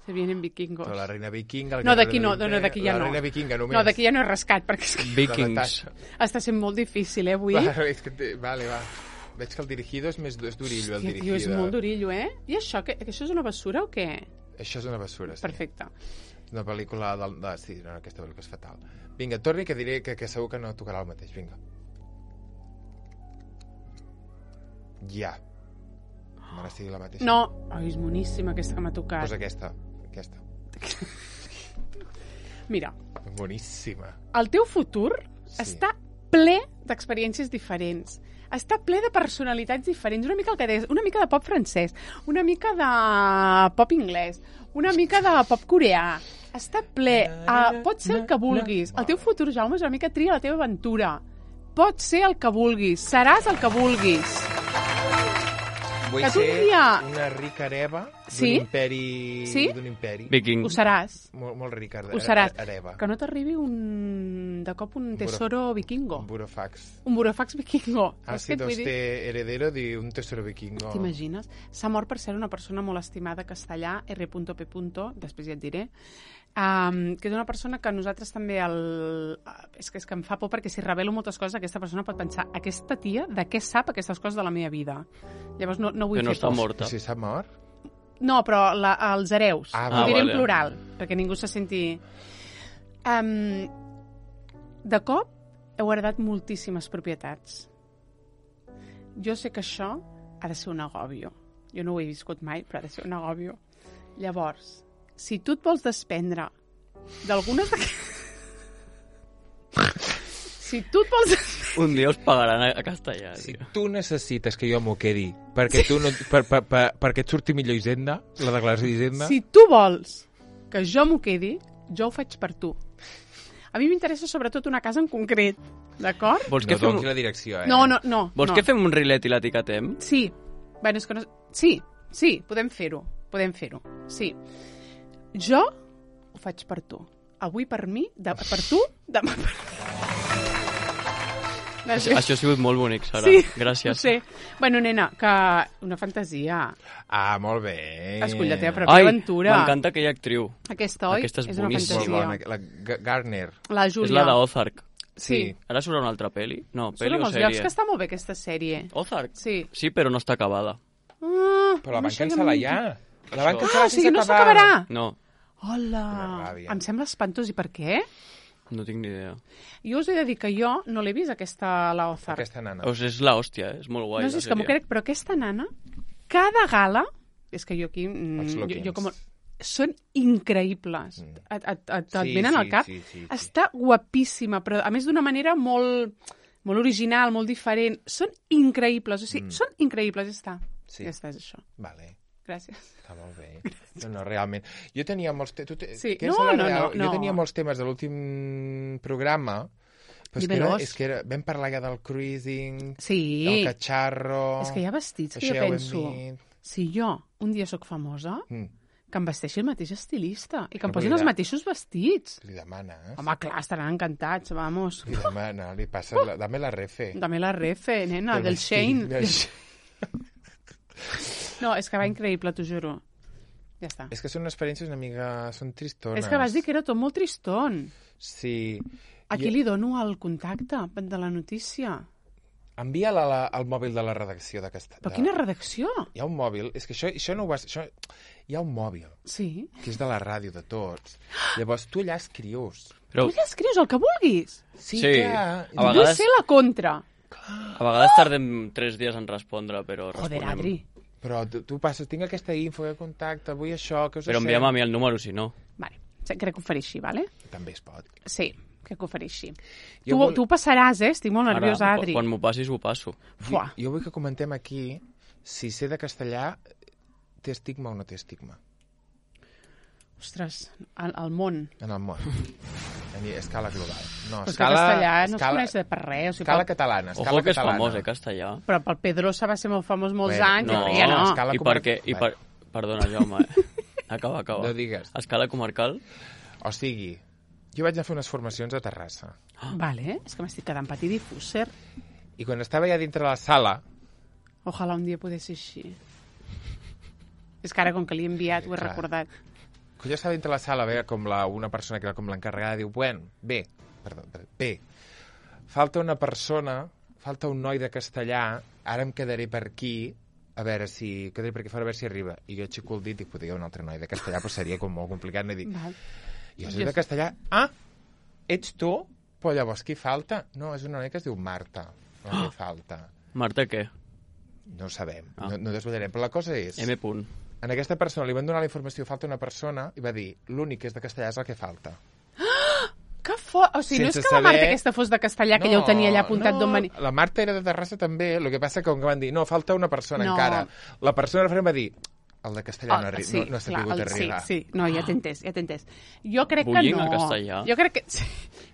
Se vienen vikingos. Però la reina vikinga... el No, guerrero d'aquí no, de no, no, d'aquí ja la no. La reina vikinga només. No, d'aquí ja no he rascat, perquè és que Vikings. està sent molt difícil, eh, avui. Vale, és que te... vale, va. Veig que el dirigido és més és d'orillo, el Hòstia, dirigido. tio, és molt d'orillo, eh? I això, que, que això és una bessura o què? Això és una bessura, sí. Perfecte. Una pel·lícula del... De... Sí, no, aquesta pel·lícula és fatal. Vinga, torni, que diré que, que segur que no tocarà el mateix. Vinga. Ja. No estigui la mateixa. No. Ai, és boníssima aquesta que m'ha tocat. Pues aquesta. Aquesta. Mira, Boníssima. el teu futur Sí. està ple d'experiències diferents. Està ple de personalitats diferents. Una mica el que deies, una mica de pop francès, una mica de pop anglès, una mica de pop coreà. Està ple. Uh, pot ser el que vulguis. El teu futur, Jaume, és una mica tria la teva aventura. Pot ser el que vulguis. Seràs el que vulguis. Vull Que tu un ser dia- una rica hereva d'un Sí? imperi... Sí? D'un imperi. Viking. Ho seràs. Molt, molt rica. Ho seràs. Hereva. Que no t'arribi un... de cop un tesoro vikingo. Un burofax. Un burofax vikingo. Ha Saps què et sido vull dir? este heredero de un tesoro vikingo. T'imagines? S'ha mort per ser una persona molt estimada castellà, R P. Després ja et diré, um, que és una persona que nosaltres també el... és, que, és que em fa por perquè si revelo moltes coses aquesta persona pot pensar, aquesta tia de què sap aquestes coses de la meva vida? Llavors no, no vull Que no fer està por. morta. Si s'ha mort? No, però la, els hereus. Ah, Ho diré vale. en plural, perquè ningú se senti... Um, de cop heu heredat moltíssimes propietats. Jo sé que això ha de ser un agòbio. Jo no ho he viscut mai, però ha de ser un agòbio. Llavors, si tu et vols desprendre d'algunes d'aquestes... si tu et vols... Un dia us pagaran a, a castellà. Si tio. tu necessites que jo m'ho quedi perquè, tu no, per, per, per, perquè et surti millor Hisenda, la declaració d'Hisenda... Si tu vols que jo m'ho quedi, jo ho faig per tu. A mi m'interessa sobretot una casa en concret, d'acord? Vols, no que fem, doni la direcció, eh? No, no, no. vols no. que fem un rilet i l'etiquetem? Sí. Bueno, és que no... Sí, sí, podem fer-ho. Podem fer-ho. Sí. Jo ho faig per tu. Avui per mi, de... per tu, demà per Això, això ha sigut molt bonic, Sara. Sí, Gràcies. ho sé. Bueno, nena, que una fantasia. Ah, molt bé. Escull la teva pròpia Ai, aventura. m'encanta aquella actriu. Aquesta, oi? Aquesta és una boníssima. Molt fantasia. bona. La G- Garner. La És Júlia. la d'Ozark. Sí. Ara surt una altra pel·li? No, Són pel·li o molts llocs sèrie? que està molt bé, aquesta sèrie. Ozark? Sí. Sí, però no està acabada. Ah, Però la van això cancel·lar em- ja. La van Això. cancel·lar Ah, o sigui, sense no acabar. s'acabarà. No, Hola. Quina ràbia. Em sembla espantós. I per què? no tinc ni idea. Jo us he de dir que jo no l'he vist, aquesta, la Ozark. Aquesta nana. O sigui, és la hòstia, eh? És molt guai. No la sé, és que m'ho sèrie. crec, però aquesta nana, cada gala, és que jo aquí... mm, Els jo, lookings. jo com, són increïbles. Mm. Et, et, et, et Sí, venen sí, al cap. sí, sí, sí. Està guapíssima, però a més d'una manera molt, molt original, molt diferent. Són increïbles, o sigui, Mm. són increïbles, ja està. Sí. Ja està, és això. Vale. Gràcies. Està molt bé. No, no, realment. Jo tenia molts... Te... Tu te... Sí. Què és No, la no, real? no, no. Jo tenia molts temes de l'últim programa, Però és que, era, és que era, vam parlar ja del cruising, Sí. del catxarro... És que hi ha vestits que això jo ja ho hem penso... dit. Si jo un dia sóc famosa, Mm. que em vesteixi el mateix estilista i que em Però posin vull els dir- mateixos vestits. Li demanes. Home, clar, estaran encantats, vamos. Li demana, li passa... La, dame la refe. Dame la refe, nena, Del del vestit, Shane. del No, és que va increïble, t'ho juro. Ja està. És que són experiències una mica... Són tristones. És que vas dir que era tot molt triston. Sí. A qui li dono el contacte de la notícia? Envia la, la, el mòbil de la redacció d'aquesta... Però de... quina redacció? Hi ha un mòbil, és que això, això no ho vas... Això... Hi ha un mòbil, Sí. que és de la ràdio de tots. Llavors tu allà escrius. Però Tu ja escrius el que vulguis. Sí, Sí. clar. A Vull vegades- ser la contra. a vegades tardem tres dies en respondre, però Joder, responem. Adri. Però tu, tu passes, tinc aquesta info de contacte, vull això, que us Però envia'm a mi el número, si no. Vale, sí, crec que ho faré així, vale? També es pot. Sí, crec que ho faré així. Jo Tu, vol- tu ho passaràs, eh? Estic molt nerviosa, Ara, Adri. quan m'ho passis, ho passo. Fuà. Jo, jo vull que comentem aquí si ser de castellà té estigma o no té estigma Ostres, al, al món. en el món. A escala global. No, Però és que escala, castellà no es escala, coneix de per res. O sigui, escala pel, catalana. Escala Ojo que és catalana. famós, eh, castellà. però pel Pedrosa va ser molt famós molts Bueno, anys, no, i ja no. escala I comarcal. perquè... I per... Perdona, Jaume. eh? Acaba, acaba. No digues. Escala comarcal? O sigui, jo vaig anar a fer unes formacions a Terrassa. Vale, és que m'estic quedant patidifúser. I quan estava ja dintre la sala, Ojalà un dia pogués ser així. És que ara, com que l'he enviat, ho he Clar. recordat. quan jo estava dintre la sala, veia com la, una persona que era com l'encarregada, diu, bueno, bé, perdó, bé, falta una persona, falta un noi de castellà, ara em quedaré per aquí, a veure si... quedaré per aquí fora, a veure si arriba. I jo aixeco el dit i dic, un altre noi de castellà, però seria com molt complicat. No? I dic, Val. jo soc de castellà. Ah, ets tu? Però llavors qui falta? No, és una noia que es diu Marta. No, què falta? Marta, què? No ho sabem, Ah. no, no desvetllarem. Però la cosa és... M. punt. En aquesta persona li van donar la informació, falta una persona, i va dir, l'únic que és de castellà és el que falta. Que fort! O sigui, no és Sense que la Marta saber- aquesta fos de castellà, que ja ho tenia allà apuntat no, d'on venia. la Marta era de Terrassa també, el que passa que com que van dir, no, falta una persona No. encara. La persona referent va dir, el de castellà no, arri sí, no, no ha clar, sabut el- arribar. Sí, sí, no, ja t'he entès, ja t'he entès. Jo crec Bullying que no. en castellà? Jo crec que, sí,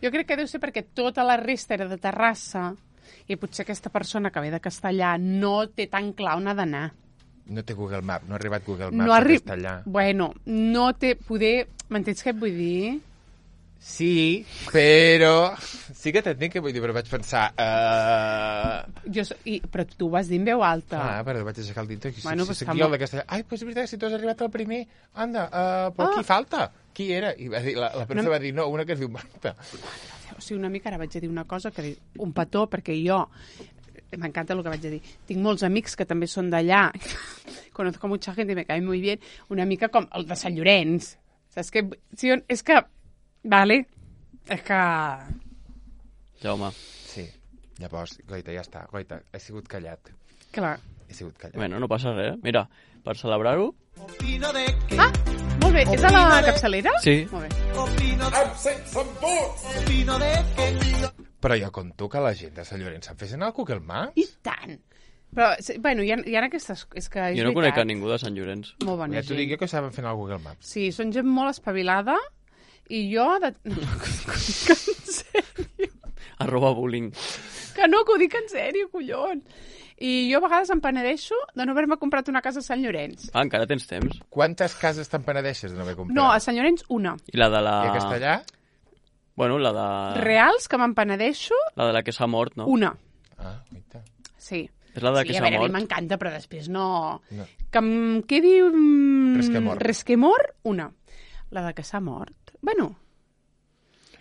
jo crec que deu ser perquè tota la resta era de Terrassa i potser aquesta persona que ve de castellà no té tan clar on ha d'anar. No té Google Maps, no ha arribat Google Maps No a arri... castellà. Bueno, no té... Poder... M'entens què et vull dir? Sí, però... Sí que t'entenc què vull dir, però vaig pensar... Uh... Jo, so- i, però tu ho vas dir en veu alta. Ah, però vaig aixecar el dit. Si, Bueno, si, pues si està aquí el molt- de castellà... Ai, doncs és veritat, si tu has arribat al primer... Anda, uh, però Ah. qui falta? Qui era? I va dir, la, la persona No. va dir, no, una que es diu Marta. O sigui, una mica ara vaig a dir una cosa, que un petó, perquè jo... M'encanta el que vaig a dir. Tinc molts amics que també són d'allà. Conozco mucha gente y me cae muy bien. Una mica com el de Sant Llorenç. Saps què? Sí, és que... Vale. És que... Jaume. Sí, llavors, Goita, ja està. Goita, he sigut callat. Clar. He sigut callat. Bueno, no passa res. Mira, per celebrar-ho... Ah, molt bé. És a la capçalera? Sí. Molt bé. Però jo conto que la gent de Sant Llorenç se'n fessin al Google Maps. I tant. Però, sí, bueno, hi ha, hi ha aquestes... És que és Jo no conec a veritat. ningú de Sant Llorenç. Molt bona Ja t'ho gent. dic jo que saben fent al Google Maps. Sí, són gent molt espavilada i jo... De... No, no, que ho dic en sèrio. Arroba bullying. Que no, que ho dic en sèrio, collons. I jo a vegades em penedeixo de no haver-me comprat una casa a Sant Llorenç. Ah, encara tens temps. Quantes cases te'n penedeixes de no haver comprat? No, a Sant Llorenç una. I la de la... I a castellà? Bueno, la de... Reals, que me'n penedeixo, La de la que s'ha mort, no? una. Ah, guaita. Sí. És la de Sí, que a s'ha veure, a mi mort. m'encanta, però després no... No. Que em quedi... Mm, Resquemor. Resquemor, una. La de que s'ha mort. Bueno,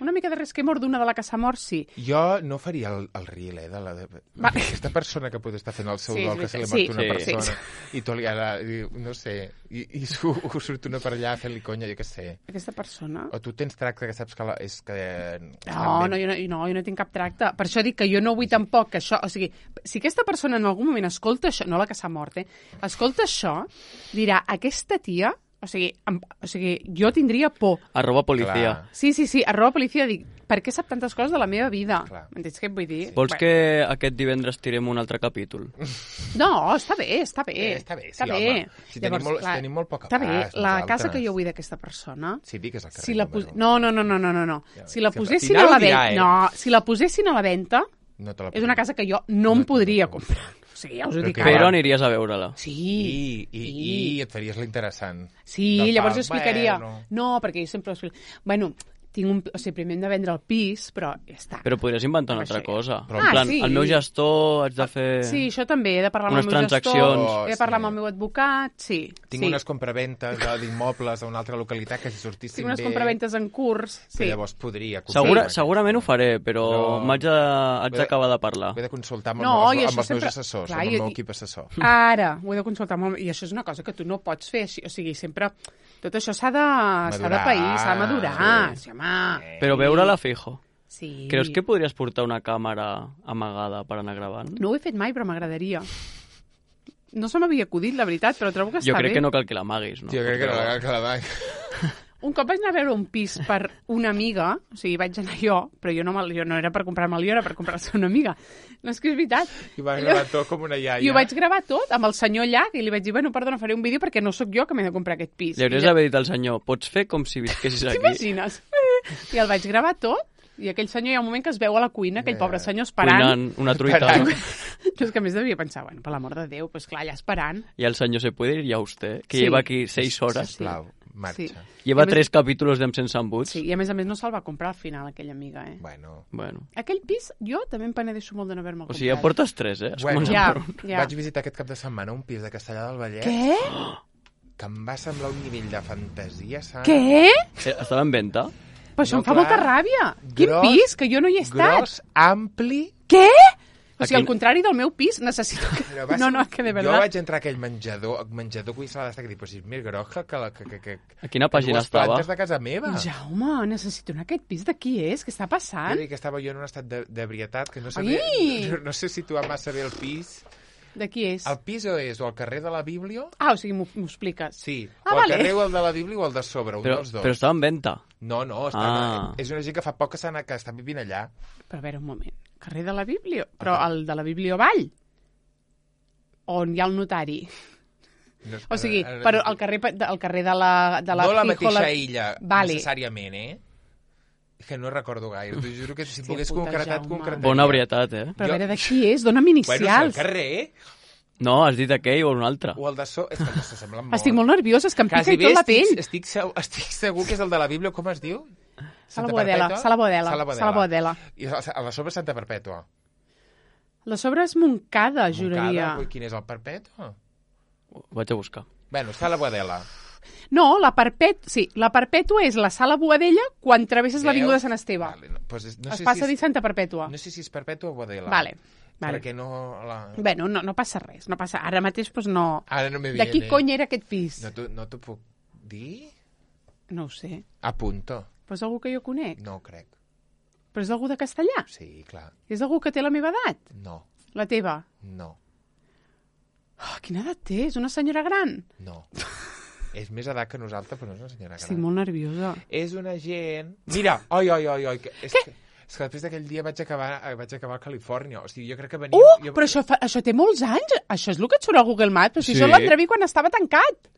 una mica de resquemor d'una de la que s'ha mort, sí. Jo no faria el, el riel, eh, de la... De... Va. Aquesta persona que pot estar fent el seu Sí, és dol, que se li ha veritat. mort una Sí, sí. persona, i tu li ara, i, no sé, i, i su, surt una per allà fent-li conya, jo què sé. Aquesta persona... O tu tens tracte que saps que la, és que... No, no, jo no, no, jo no tinc cap tracte. Per això dic que jo no vull tampoc que això... O sigui, si aquesta persona en algun moment escolta això... No la que s'ha mort, eh? Escolta això, dirà, aquesta tia O sigui, em, o sigui, jo tindria por. Arroba policia. Clar. Sí, sí, sí, arroba policia, dic, per què sap tantes coses de la meva vida? Clar. M'entens què et vull dir? Vols Bueno. que aquest divendres tirem un altre capítol? No, està bé, està bé. Eh, està bé, sí, està bé. home. Si tenim molt- si tenim molt poc Està bé, abast, la nosaltres. casa que jo vull d'aquesta persona... Sí, digues el carrer. Si la número. pos... No, no, no, no, no, no, no. Ja, Si la sí, posessin final a la ho dirà, venda... eh? No, si la posessin a la venda, No te la és una casa que jo no em podria comprar. O sigui, ja us ho Però dic que- ara. Però aniries a veure-la. Sí, I, i, sí. i et faries l'interessant. Sí, De llavors pal, jo explicaria... bueno. No, perquè jo sempre... explico- Bueno, tinc un... O sigui, primer hem de vendre el pis, però ja està. Però podries inventar una Amb altra això ja. cosa. Però- en Ah, plan, sí. el meu gestor haig de fer... Sí, això també, he de parlar amb Unes el meu transaccions. gestor, he de parlar Sí. amb el meu advocat, sí. Tinc sí. unes compraventes de- d'immobles a una altra localitat que si sortissin Tinc unes bé... compraventes en curs, que sí. llavors podria... comprar Segura, aquesta. segurament ho faré, però, Però- m'haig de- haig He de- d'acabar de parlar. Ho he de consultar amb, No, els, i amb això els meus sempre- assessors, Clar, amb i- el meu i- equip assessor. Ara, ho he de consultar molt, i això és una cosa que tu no pots fer així, o sigui, sempre... Tot això s'ha de, s'ha de Madurar. pair, s'ha de madurar, Sí. sí, home. Però veure-la fijo. Sí. Creus que podries portar una càmera amagada per anar gravant? No ho he fet mai, però m'agradaria. No se m'havia acudit, la veritat, però trobo que està Jo crec bé. que no cal que l'amaguis, no? Jo crec que no, que la vaig... Un cop vaig anar a veure un pis per una amiga, o sigui, vaig anar jo, però jo no, me'l- jo no era per comprar-me'l jo, era per comprar-se una amiga. No, és que és veritat. I va gravar tot com una iaia. I ho vaig gravar tot amb el senyor allà, i li vaig dir, bueno, perdona, faré un vídeo perquè no sóc jo que m'he de comprar aquest pis. Li hauries I d'haver dit al senyor, pots fer com si visquessis aquí? T'imagines? I el vaig gravar tot, i aquell senyor hi ha un moment que es veu a la cuina, aquell Eh, pobre senyor esperant. Cuinant una truita. Esperant. Jo és que a més devia pensar, bueno, per l'amor de Déu, doncs clar, allà esperant. Y el señor se puede ir ya usted, que Sí. lleva aquí seis horas. Sisplau, marxa. Sí. Lleva I a més- tres capítulos d'Em Sense Embuts. Sí, i a més a més no se'l va comprar al final, aquella amiga, eh? Bueno, Bueno. Aquell pis, jo també em penedeixo molt de no haver-me'l O comprat. sigui, ja portes tres, eh? Has Bueno. començat Ja, per un. ja. vaig visitar aquest cap de setmana un pis de Castellà del Vallès Què? que em va semblar un nivell de fantasia, saps? Què? Eh, Estava en venta? Però això No, em fa clar. molta ràbia. Quin Gros- pis? Que jo no hi he estat. Gros, ampli... Què? O sigui, Aquí- al contrari del meu pis, necessito que... Però va No, ser- no, que de Jo veritat... vaig entrar a aquell menjador, menjador que s'ha d'estar que dic, però si és més gros que, que, que, que, que, A quina que pàgina dues estava? plantes de casa meva. Jaume, necessito anar a aquest pis. De qui és? Què està Jo passant? dic que estava jo en un estat de- d'ebrietat, que no sabia... Ai! No, no sé situar massa bé el pis. De qui és? El pis o és o al carrer de la Bíblia? Ah, o sigui, m'ho m'ho expliques. Sí. Ah, o al vale. carrer o el de la Bíblia o el de sobre, un Però, dels dos. però estava en venta. No, no, està, Ah. és una gent que fa poc que, s'han- que està vivint allà. Però a veure, un moment. Carrer de la Bíblia? Però el de la Bíblia Vall? On hi ha el notari? No, O sigui, ara- ara- però al carrer, al carrer de la... De la no la Fijo, mateixa la- illa, Vale. necessàriament, eh? Que no recordo gaire. T'ho juro que si Hòstia pogués puta, concretat, Jaume. concretaria. Bona ebrietat, eh? Però a Jo- veure, de qui és? Dóna'm Bueno, si al inicials. carrer No, has dit aquell o un altre. o el de so... És que no se semblen molt. Estic molt nerviosa, és que em pica Quasi i bé tot la estic, pell. estic, segur, estic segur que és el de la Bíblia, com es diu? Sala Santa Boadella, Perpètua? Sala Boadella, Sala Boadella. Sala Boadella. I a a la sobre Santa Perpètua. La sobre és Montcada, juraria. Montcada, quin és el Perpètua? Ho vaig a buscar. Bueno, Sala Boadella. No, la Perpètua... Sí, la Perpètua és la Sala Boadella quan travesses l'avinguda de Sant Esteve. Vale, no, pues és- no es sé passa si a dir és, Santa Perpètua. no sé si és Perpètua o Boadella. Vale, vale. Perquè no... La... Bueno, no, no passa res, no passa... Ara mateix, doncs no... Ara no me De viene. qui cony era aquest pis? No t'ho no t'ho puc dir? No ho sé. A punto. Però és algú que jo conec. No ho crec. Però és algú de Castellà. Sí, clar. És algú que té la meva edat. No, La teva. no, Oh, quina edat té? És una senyora gran. no. És més edat que nosaltres, però no és una senyora gran. Estic molt nerviosa. És una gent... Mira, oi, oi, oi, oi. Que, és, que, és que després d'aquell dia vaig acabar, eh, vaig acabar a Califòrnia. O sigui, jo crec que venia... Uh, jo... però això, fa, això té molts anys. Això és el que et surt a Google Maps. Però si Sí. això l'entreví quan estava tancat.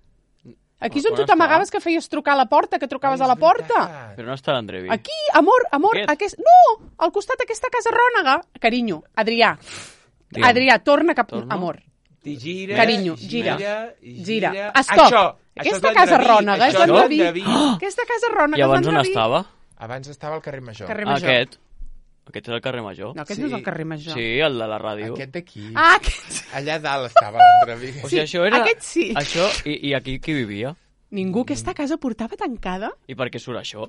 Aquí és on On tu estava? t'amagaves que feies trucar a la porta, que trucaves Ai, a la és porta. veritat. Però no està l'Andrevi. Aquí, amor, amor, Aquest? aquest... No, al costat d'aquesta casa rònega. Carinyo, Adrià. Digue'm. Adrià, torna cap... Torno? Amor, Ti gira, Carinyo, gira, gira. gira. gira. Stop. Això, Aquesta això és casa l'Andreví, rònega és això l'Andreví. l'Andreví. Aquesta casa rònega I abans és on l'Andreví. estava? Abans estava al carrer Major. Carrer Ah, Major. aquest. Aquest és el carrer Major. No, aquest Sí. no és el carrer Major. Sí, el de la ràdio. Aquest d'aquí. Ah, aquest... Allà dalt estava l'Andreví. O sigui, això era... aquest sí. Això, i, i aquí qui vivia? Ningú aquesta casa portava tancada? I per què surt això?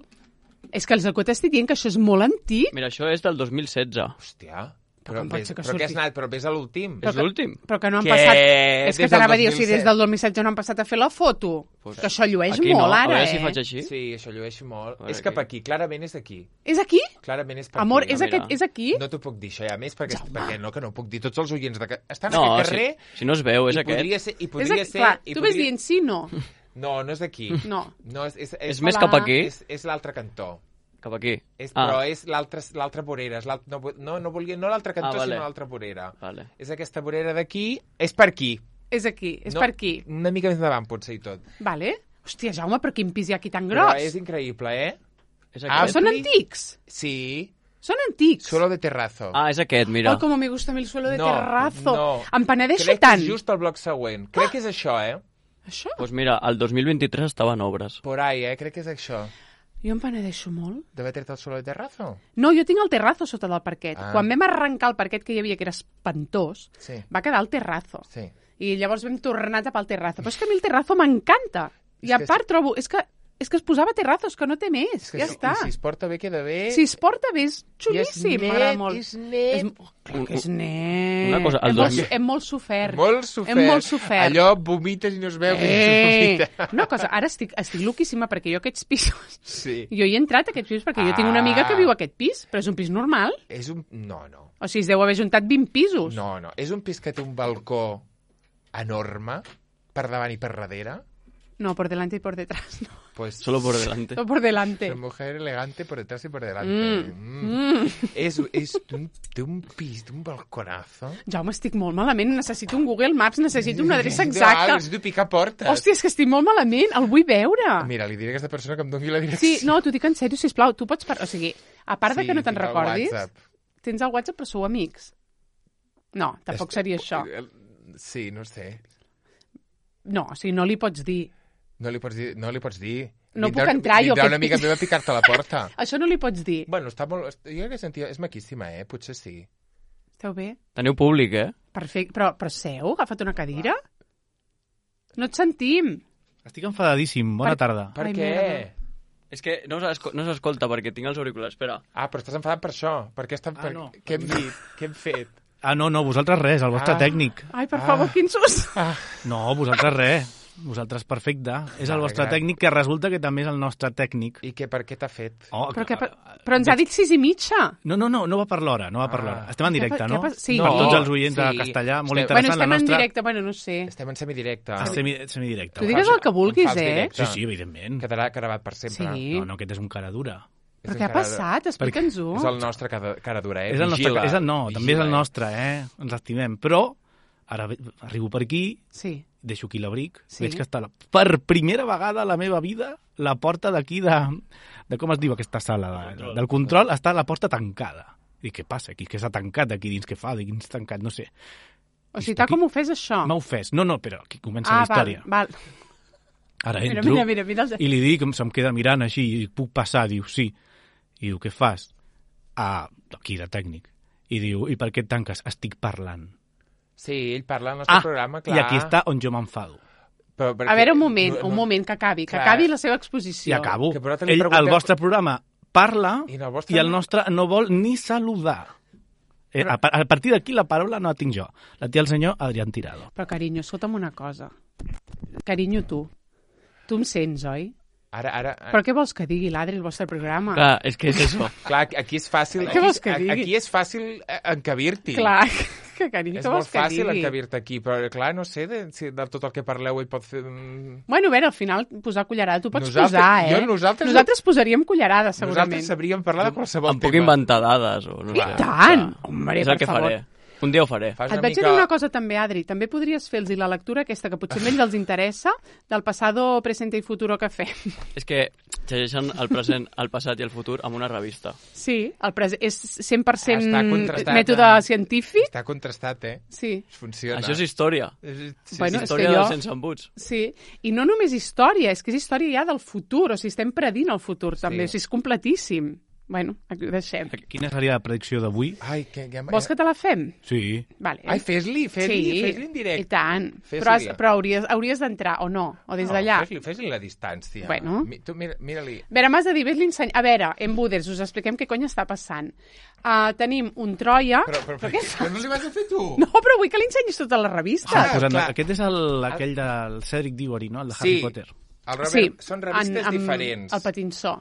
És que el que t'estic dient que això és molt antic. Mira, això és del dos mil setze. Hòstia. Però Però, com pot vés, ser que però què has surti? anat? Però vés a l'últim. És l'últim. Però que no han Què? passat... És que Des del t'anava a dir, o sigui, dos mil set. des del dos mil setze no han passat a fer la foto. Pues, que això llueix aquí molt, no. ara, A veure eh? si faig així. Sí, això llueix molt. veure És cap aquí. aquí, clarament és aquí. És aquí? Clarament és per Amor, aquí. és, mira. aquest, és aquí? No t'ho puc dir, això, ja més, perquè, perquè no, que no ho puc dir. Tots els oients de... que- Estan No, en aquest si, carrer si no es veu, és i aquest. podria ser... I És podria aquí, ser clar, i tu ves podria... dient sí, no. No, no és d'aquí. No. no és, és, És és, més Hola. cap aquí? és, és l'altre cantó. Cap aquí? És, Ah, Però és l'altra l'altra vorera. És l'alt- no, no, no, volia, no l'altre cantó, Ah, vale. sinó l'altra vorera. vale. És aquesta vorera d'aquí. És per aquí. És aquí, és no, per aquí. Una mica més endavant, potser, i tot. Vale. Hòstia, Jaume, però quin pis hi ha aquí tan Però gros? és increïble, eh? És Ah, Però aquest? són ampli. antics. Sí. Són antics. Suelo de terrazo. Ah, és aquest, mira. Oh, com me gusta a mi el suelo de no, terrazo. No. Em penedeixo Crec tant. que és just el bloc següent. Crec que és això, eh? Això? Doncs mira, el dos mil vint-i-tres estava en obres. Por ahí, eh? Crec que és això. Jo em penedeixo molt. De meter-te el suelo de terrazo. No, jo tinc el terrazo sota del parquet. Ah. Quan vam arrencar el parquet que hi havia, que era espantós, Sí. va quedar el terrazo. Sí. I llavors vam tornar a tapar el terrazo. Però és que a mi el terrazo m'encanta. I És a que part trobo... És que, és que es posava terrazos, que no té més. És que ja si, està. I si es porta bé, queda bé. Si es porta bé, és I és xulíssim. net, M'agrada molt. és net. És, oh, clar que és net. Una cosa, el hem, molt, dos mil- hem molt sofert. Molt sofert. Hem molt sofert. Allò vomites i no es veu que Eh, es vomita. una cosa, ara estic, estic loquíssima perquè jo aquests pisos... Sí. Jo hi he entrat a aquests pisos perquè jo tinc una amiga que Ah. viu a aquest pis, però és un pis normal. És un... No, no. O sigui, es deu haver juntat vint pisos. No, no. És un pis que té un balcó enorme per davant i per darrere. No, por delante y por detrás, no. Pues Solo por delante. No por delante. una mujer elegante por detrás y por delante. Mm. Mm. Mm. És, és un, té un pis, té un balconazo. Jaume, estic molt malament. Necessito un Google Maps, necessito una adreça No, exacta. necessito picar portes. Hòstia, és que estic molt malament. El vull veure. Mira, li diré a aquesta persona que em doni la direcció. Sí, no, t'ho dic en sèrio, sisplau. Tu pots... Par... O sigui, a part de que no te'n tinc el recordis, WhatsApp. tens el WhatsApp, però sou amics. No, tampoc Est- seria això. Sí, no sé. No, o sigui, no li pots dir. No li pots dir... No, li pots dir. No Vindrà- puc entrar jo, Vindrà aquest una amiga pis. meva a picar-te a la porta. Això no li pots dir. Bueno, està molt... Jo crec que sentia... És maquíssima, eh? Potser sí. Esteu bé? Teniu públic, eh? Perfecte. Però, però seu? Agafa't una cadira? No et sentim. Estic enfadadíssim. Bona Per- tarda. Per Ai, què? merda. És que no s'esco- no s'escolta perquè tinc els auriculars. Espera. Ah, però estàs enfadat per això. Per què estan... Ah, per... no. Què hem dit? Què hem fet? Ah, no, no, vosaltres res, el vostre Ah. tècnic. Ai, per Ah. favor, quin sus. Ah, No, vosaltres res. Vosaltres perfecte. És el Vale, vostre gra- tècnic que resulta que també és el nostre tècnic. I què, per què t'ha fet? Oh, Però, que, que- però ens ha dit sis i mitja. No, no, no, no va per l'hora, no va per Ah. l'hora. Estem en directe, Què no? pa- sí. Per No, tots els oients de sí. castellà, molt Estem- Bueno, interessant estem la en nostra... directe, bueno, no sé. Estem en semidirecte. Ah. Semi, semidirecte. Tu va. digues el que vulguis, Un fals eh? directe. Sí, sí, evidentment. Quedarà gravat per sempre. Sí. No, no, aquest és un cara dura. És Però un què ha cara- passat? Explica'ns-ho. És el nostre cara, cara dura, eh? És el nostre, Vigila, és el, no, vigila, també és el eh? nostre, eh? Ens estimem. Però, ara ve- arribo per aquí, Sí. deixo aquí l'abric, Sí. veig que està, la, per primera vegada a la meva vida, la porta d'aquí de, de... Com es diu aquesta sala? De, Control. del control, està la porta tancada. I què passa aquí? Què s'ha tancat aquí dins? Què fa? Dic, quins tancat? No sé. O sigui, tal com ho fes això. M'ha ofès. No, no, però aquí comença ah, la història. val, val. Ara Mira, entro mira, mira, mira. Els... i li dic, em- se'm queda mirant així, i puc passar? Diu, sí. I diu, què fas? Ah, aquí de tècnic. I diu, i per què et tanques? Estic parlant. Sí, ell parla al nostre Ah, programa, clar. i aquí està on jo m'enfado. Però perquè- A veure, un moment, no- un no- moment, que acabi, que Clar. acabi la seva exposició. I acabo. Que però te li Ell, preguntem- el vostre programa parla I en el vostre i el no. nostre no vol ni saludar. Eh, a, pa- a partir d'aquí la paraula no la tinc jo. La té el senyor Adrián Tirado. Però, carinyo, escolta'm una cosa. Carinyo, tu. Tu em sents, oi? Ara, ara... Però què vols que digui l'Adri el vostre programa? Clar, és que és això. Clar, aquí és fàcil... Què Aquí, vols que a- digui? aquí és fàcil eh, encabir-t'hi. Clar, que carinyo, És què molt vols que fàcil digui? encabir-te aquí, però clar, no sé de, si de tot el que parleu ell pot fer... un- Bueno, a veure, al final, posar cullerada, tu pots Nosaltres- posar, eh? jo- nosaltres- nosaltres posaríem cullerada, segurament. Nosaltres sabríem parlar de qualsevol Em puc tema. inventar dades o no I sé. tant! Clar. Hombre, és el per que favor. faré. Un dia ho faré. Fas Et una vaig mica... dir una cosa també, Adri. També podries fer-los la lectura aquesta, que potser a ells els interessa, del passado, presente i futuro que fem. És que llegeixen el present, el passat i el futur amb una revista. Sí, el pres és cent per cent Està contrastat, mètode eh? científic. Està contrastat, eh? Sí, Funciona. Això és història. És- sí, Bueno, sí. és història que jo- dels sense embuts. sí. I no només història, és que és història ja del futur, o sigui, estem predint el futur també, o sigui, és completíssim. Bueno, aquí ho deixem. Quina seria la predicció d'avui? Ai, que... Ja... Vols que te la fem? Sí. Vale. Ai, fes-li, fes-li, sí, fes-li en directe. i tant. Fes-li. Però, has, però hauries, hauries d'entrar, o no? O des No, d'allà? Fes-li fes la distància. Bueno. Mi, tu mira, mira-li. A veure, m'has de dir, ves-li enseny... A veure, en Buders, us expliquem què cony està passant. Uh, tenim un Troia... Però, però, però, què però no li vas a fer tu? No, però vull que li ensenyis tota la revista. Ah, Pues en, clar. aquest és el, aquell del Cedric Diggory, no? El de Harry Sí. Potter. El Robert, sí, són revistes en- amb diferents. El patinsó.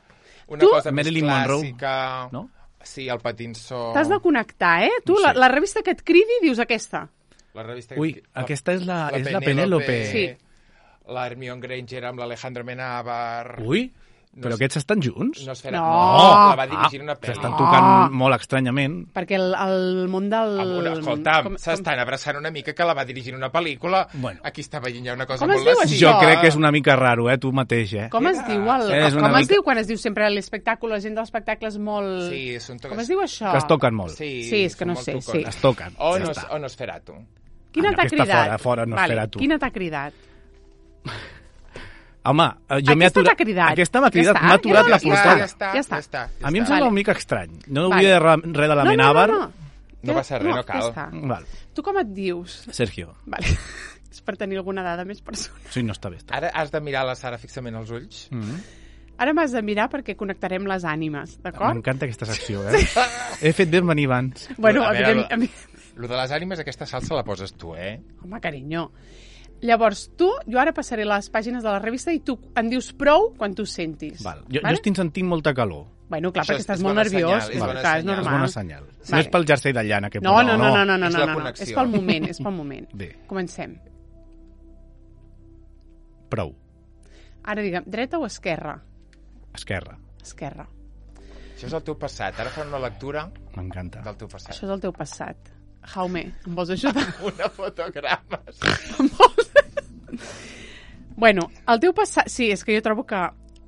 Una Tu- cosa més Marilyn Monroe, clàssica... no? Sí, el patinsó... T'has de connectar, eh? Tu, No sé. la, la revista que et cridi, dius aquesta. La revista... Ui, que- aquesta és la, la és la Penélope. Penélope. Sí. la Hermione Granger amb l'Alejandro Amenábar... Ui, No però és- aquests estan junts? No, esfera, No. no, la va dirigir Ah, una pel·li. S'estan No. tocant molt estranyament. Perquè el, el món del... Amb una, escolta'm, com- s'estan abraçant una mica que la va dirigir una pel·lícula. Bueno. Aquí està veient ja una cosa Com es molt diu lasciva. això? Jo crec que és una mica raro, eh, tu mateix, eh? Com es diu el... És Com una es mica- diu quan es diu sempre l'espectacle, la gent de l'espectacle és molt... Sí, són toques... Com es diu això? Que es toquen molt. Sí, Sí, és que són no molt sé, tocones. sí. Es toquen. O, ja no, està. o Nosferatu. Quina Ah, no, t'ha aquesta cridat? fora, fora, no vale. espera tu. Quina t'ha cridat? Home, eh, jo m'he Aquesta aturat... t'ha cridat. Aquesta m'ha cridat, Ja m'ha està, aturat ja la està, portada. Ja està, Ja està. ja està. Ja A mi em està. sembla Vale. una mica estrany. No Vale. volia dir res de la Amenábar. No, no, no, No passa res, no cal. Ja està. Val. Tu com et dius? Sergio. Vale. És per tenir alguna dada més personal. Sí, no està bé. Està. Ara has de mirar la Sara fixament als ulls. Mm -hmm. Ara m'has de mirar perquè connectarem les ànimes, d'acord? M'encanta aquesta secció, eh? He fet bé en venir abans. Bueno, A veure, evident, evident, Lo de les ànimes, aquesta salsa la poses tu, eh? home, carinyo. Llavors, tu, jo ara passaré les pàgines de la revista i tu em dius prou quan tu sentis. Val. Jo, Vale? jo estic sentint molta calor. Bueno, clar, Això perquè és- estàs és molt bona nerviós. senyal, és és, bona clar, és senyal. És normal. bona senyal. No Vale. és pel jersei de llana que No, posa, no, no, no, no, no, És no, la no, no. connexió. És pel moment, és pel moment. Bé, Comencem. prou. Ara digue'm, dreta o esquerra? Esquerra. Esquerra. Això és el teu passat. Ara farem una lectura M'encanta. del teu passat. Això és el teu passat. Jaume, em vols ajudar? Una fotogrames. Bueno, el teu passat... Sí, és que jo trobo que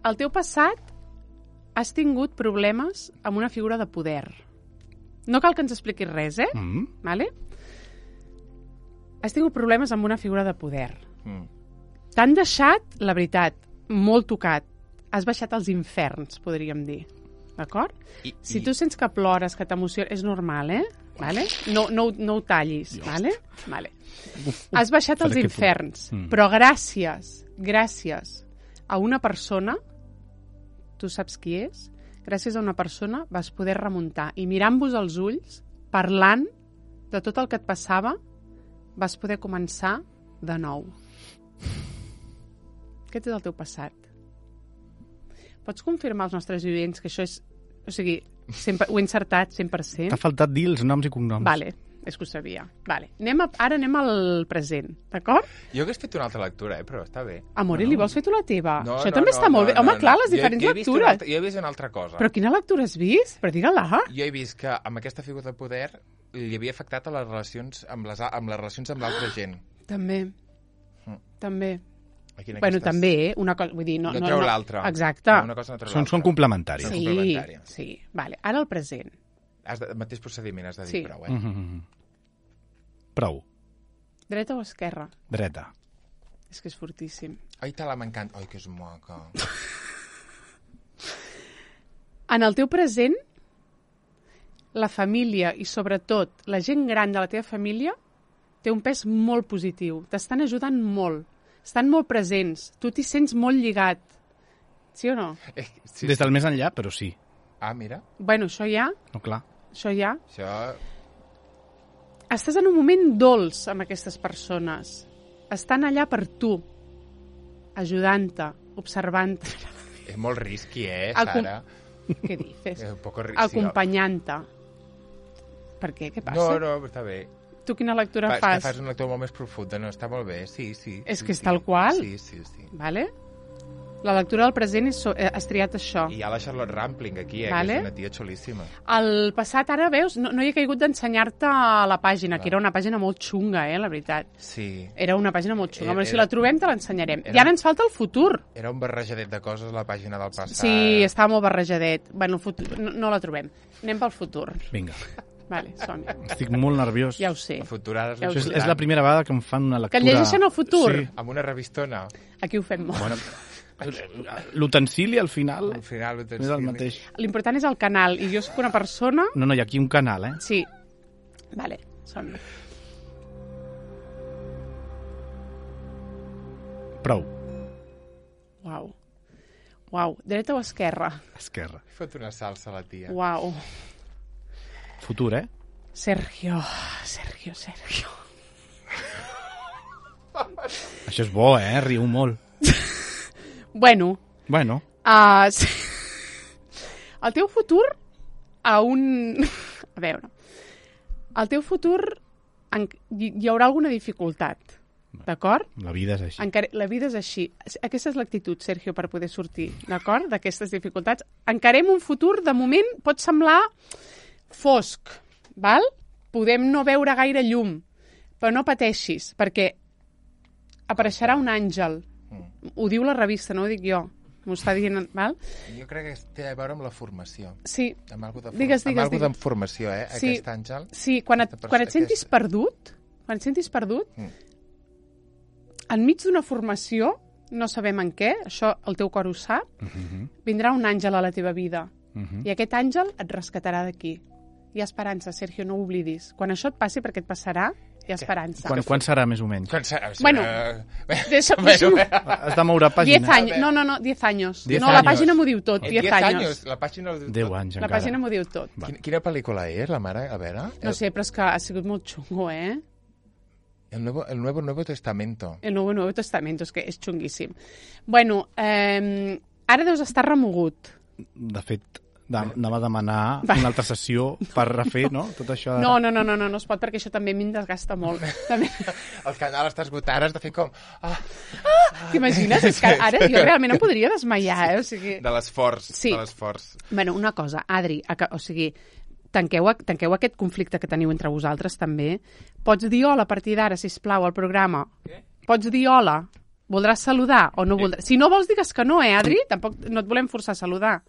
el teu passat has tingut problemes amb una figura de poder. No cal que ens expliquis res, eh? Mm? Vale? Has tingut problemes amb una figura de poder. Mm. T'han deixat, la veritat, molt tocat. Has baixat als inferns, podríem dir. D'acord? I, Si i- tu sents que plores, que t'emociona... És normal, eh? Vale? No, no, ho- no ho tallis, vale? Vale. Has baixat als Faré que tu- inferns, Mm. però gràcies, gràcies a una persona, tu saps qui és, gràcies a una persona vas poder remuntar i mirant-vos als ulls, parlant de tot el que et passava, vas poder començar de nou. Aquest és el teu passat. Pots confirmar als nostres oients que això és... O sigui, sempre, ho he encertat cent per cent? T'ha faltat dir els noms i cognoms. Vale, és que ho sabia. Vale. Anem a, ara anem al present, d'acord? Jo hagués fet una altra lectura, eh? Però està bé. Amor, no. li vols fer tu la teva? No, Això no, també no, està molt no, bé. Home, no, clar, no. les diferents jo, jo he vist una lectures. altra, jo he vist una altra cosa. Però quina lectura has vist? Però digue-la. Jo he vist que amb aquesta figura de poder li havia afectat a les relacions amb les, amb les relacions amb l'altra gent. També. Mm. També. Aquí en Bueno, aquestes- també, eh? Una cosa... Vull dir, no, No no, treu no, l'altra. Exacte. Una cosa no treu Són, l'altra. són complementaris. Són Sí, complementàries. sí. Vale, ara el present. Has de, el mateix procediment has de dir Sí. prou, eh? Mm -hmm. Prou. Dreta o esquerra? Dreta. És que és fortíssim. Ai, te la m'encanta. Ai, que és maca. En el teu present, la família i sobretot la gent gran de la teva família té un pes molt positiu. T'estan ajudant molt. Estan molt presents. Tu t'hi sents molt lligat. Sí o no? Eh, sí, Des del més enllà, però sí. Ah, mira. Bueno, això ja, No, clar. això ja. Això... Estàs en un moment dolç amb aquestes persones. Estan allà per tu, ajudant-te, observant-te. És molt risqui, eh, El com- Sara? Què dices? És un poco risqui. Acompanyant-te. Per què? Què passa? No, no, està bé. Tu quina lectura Fa, és fas? que fas una lectura molt més profunda, no? Està molt bé, sí, sí. És sí, que és sí. tal qual. Sí, sí, sí. Vale? La lectura del present és, so- eh, has triat això. I hi ha la Charlotte Rampling aquí, eh, Vale. que és una tia xulíssima. El passat, ara veus, no, no hi he caigut d'ensenyar-te la pàgina, que era una pàgina molt xunga, eh, la veritat. Sí. Era una pàgina molt xunga, Era- però si era- la trobem te l'ensenyarem. era- I ara ens falta el futur. Era un barrejadet de coses, la pàgina del passat. Sí, estava molt barrejadet. Bueno, el futur, no, no la trobem. Anem pel futur. Vinga. Vale, som Estic molt nerviós. Ja ho sé. El futur ara és Ja ho Això és, sé. és la primera vegada que em fan una Que lectura... et llegeixen el futur. Sí. Amb una revistona. Aquí ho fem molt. Bueno, l'utensili al final Al final ho tens... és el mateix. L'important és el canal, i jo sóc una persona... No, no, hi ha aquí un canal, eh? Sí. Vale, som Prou. Uau. Uau. Dreta o esquerra? Esquerra. Fot una salsa a la tia. Uau. Futur, eh? Sergio, Sergio, Sergio. Això és bo, eh? Riu molt. Bueno, Bueno, uh, el teu futur a un... A veure, el teu futur en... hi hi haurà alguna dificultat, D'acord? La vida és així. Encare... La vida és així. Aquesta és l'actitud, Sergio, per poder sortir, d'acord? D'aquestes dificultats. Encarem un futur, de moment, pot semblar fosc, val? Podem no veure gaire llum, però no pateixis, perquè apareixerà un àngel. Mm. Ho diu la revista, no ho dic jo. M'ho està dient, val? Jo crec que té a veure amb la formació. Sí. Amb algo de, digues, amb digues, algo digues. de formació, eh? Sí. Aquest àngel. Sí, quan et, quan et sentis aquest... perdut, quan et sentis perdut, mm. enmig d'una formació, no sabem en què, això el teu cor ho sap, uh-huh. vindrà un àngel a la teva vida. Uh-huh. I aquest àngel et rescatarà d'aquí. Hi ha esperança, Sergio, no ho oblidis. Quan això et passi, perquè et passarà, hi ha esperança. Quan, quan serà, més o menys? Quan serà? Bueno, deixa, deixa, has de moure pàgina. diez anys. No, no, no, diez anys. diez no, años. la pàgina m'ho diu tot, diez anys. La pàgina ho diu tot. deu anys, la encara. pàgina m'ho diu tot. Quina, quina pel·lícula és, la mare? A veure. No sé, però és que ha sigut molt xungo, eh? El Nuevo, el Nuevo, Nuevo Testamento. El Nuevo, Nuevo Testamento, és que és xunguíssim. Bueno, eh, ara deus estar remogut. De fet, anava a demanar una altra sessió per refer, no? Tot això de... No, no, no, no, no, no es pot, perquè això també a mi em desgasta molt. També... El canal està esgotant, has de fer com... Ah, ah, t'imagines? És que ara jo realment em podria desmaiar, eh? O sigui... De l'esforç, sí. de l'esforç. Bueno, una cosa, Adri, o sigui, tanqueu, tanqueu aquest conflicte que teniu entre vosaltres també. Pots dir hola a partir d'ara, sisplau, al programa. Què? Pots dir hola. Voldràs saludar o no voldràs? Si no vols, digues que no, eh, Adri? Tampoc no et volem forçar a saludar.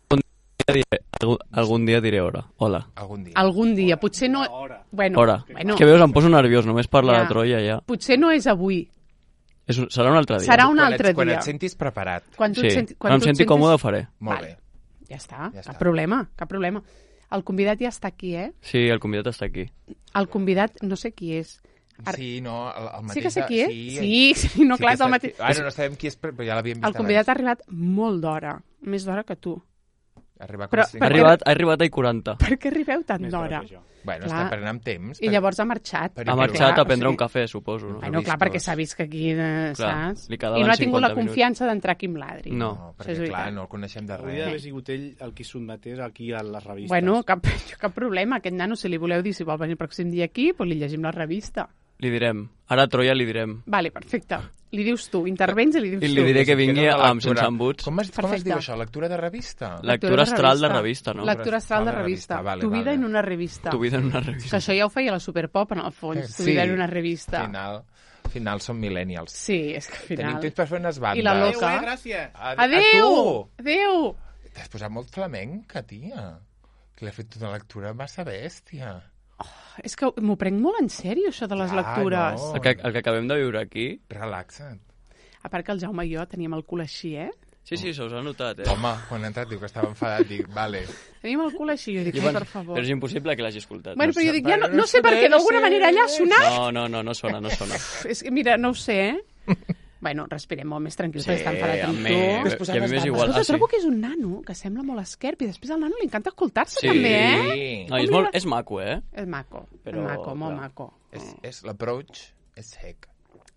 Diré, algun, algun dia diré hora. Hola. Algun dia. Algun dia. Potser no... Hora. Bueno, hora. bueno. És que veus, em poso nerviós, només parlar Ja. de Troia ja. Potser no és avui. És, un- serà un altre dia. Serà un Quan altre et, quan dia. et sentis preparat. Quan tu Sí, et senti, quan em tu et senti sentis- còmode ho faré. Molt Vale. bé. Ja està, Ja cap està. problema, cap problema. El convidat ja està aquí, eh? Sí, el convidat està aquí. El convidat, no sé qui és. Ar- Sí, no, el, el mateix... Sí que sé qui és? Sí, Sí, sí, no, clar, que és el està- mateix. Ara no sabem qui és, però ja l'havíem vist El convidat ha arribat molt d'hora, més d'hora que tu. Arribar Però- com Ha Per arribat, ha arribat a i quaranta. Per què arribeu tan Més d'hora? d'hora que jo. Bueno, Clar. està prenent amb temps. I llavors ha marxat. Per- Ha perquè, marxat clar, a prendre o un sigui- cafè, suposo. No? Bueno, clar, perquè s'ha vist que aquí, eh, Clar, saps? li I quedaven no ha tingut la cinquanta confiança d'entrar aquí amb l'Adri. No. No, Això perquè és clar, veritat. no el coneixem de Hauria res. d'haver sigut ell el qui sotmetés aquí a les revistes. Bueno, cap, cap problema. Aquest nano, si li voleu dir si vol venir el pròxim dia aquí, doncs li llegim la revista. Li direm. Ara a Troia li direm. Vale, perfecte. Li dius tu, intervens i li dius I tu. li diré que vingui Queda una amb lectura. sense embuts. Com es, com es Perfecte. diu això? Lectura de revista? Lectura astral de revista, no? Lectura astral de revista. Vale, Tu vida vale. en una revista. Tu vida en una Que revista. això ja ho feia la Superpop, en el fons. Tu Sí. vida en una revista. Al final, al final som millennials. Sí, és que al Tenim final... temps per fer unes bandes. I la Adéu, loca. eh, gràcies. A, Adéu! A Adéu! tu! T'has posat molt flamenca, tia. Que l'he fet una lectura massa bèstia. És que m'ho prenc molt en sèrio, això de les Ah, lectures. no. El que, el que acabem de viure aquí... Relaxa't. A part que el Jaume i jo teníem el cul així, eh? Sí, sí, se us ha notat, eh? Home, quan ha entrat diu que estava enfadat, dic, vale. Teníem el cul així, jo dic, ai, per favor. Però és impossible que l'hagi escoltat. Bueno, però jo dic, ja no, Però no no sé per què, sé, d'alguna no sé. manera allà ha sonat. No, no, no, no sona, no sona. És que, mira, no ho sé, eh? Bueno, respirem molt més tranquils, Sí, perquè està enfadat amb amb tu. mi- Després i a mi les m'és dames. igual. Escolta, Ah, sí? trobo que és un nano que sembla molt esquerp i després al nano li encanta escoltar-se Sí. també, eh? Sí. No, és, molt, és maco, eh? És maco, Però, és maco, molt clar. maco. És, és l'approach és sec.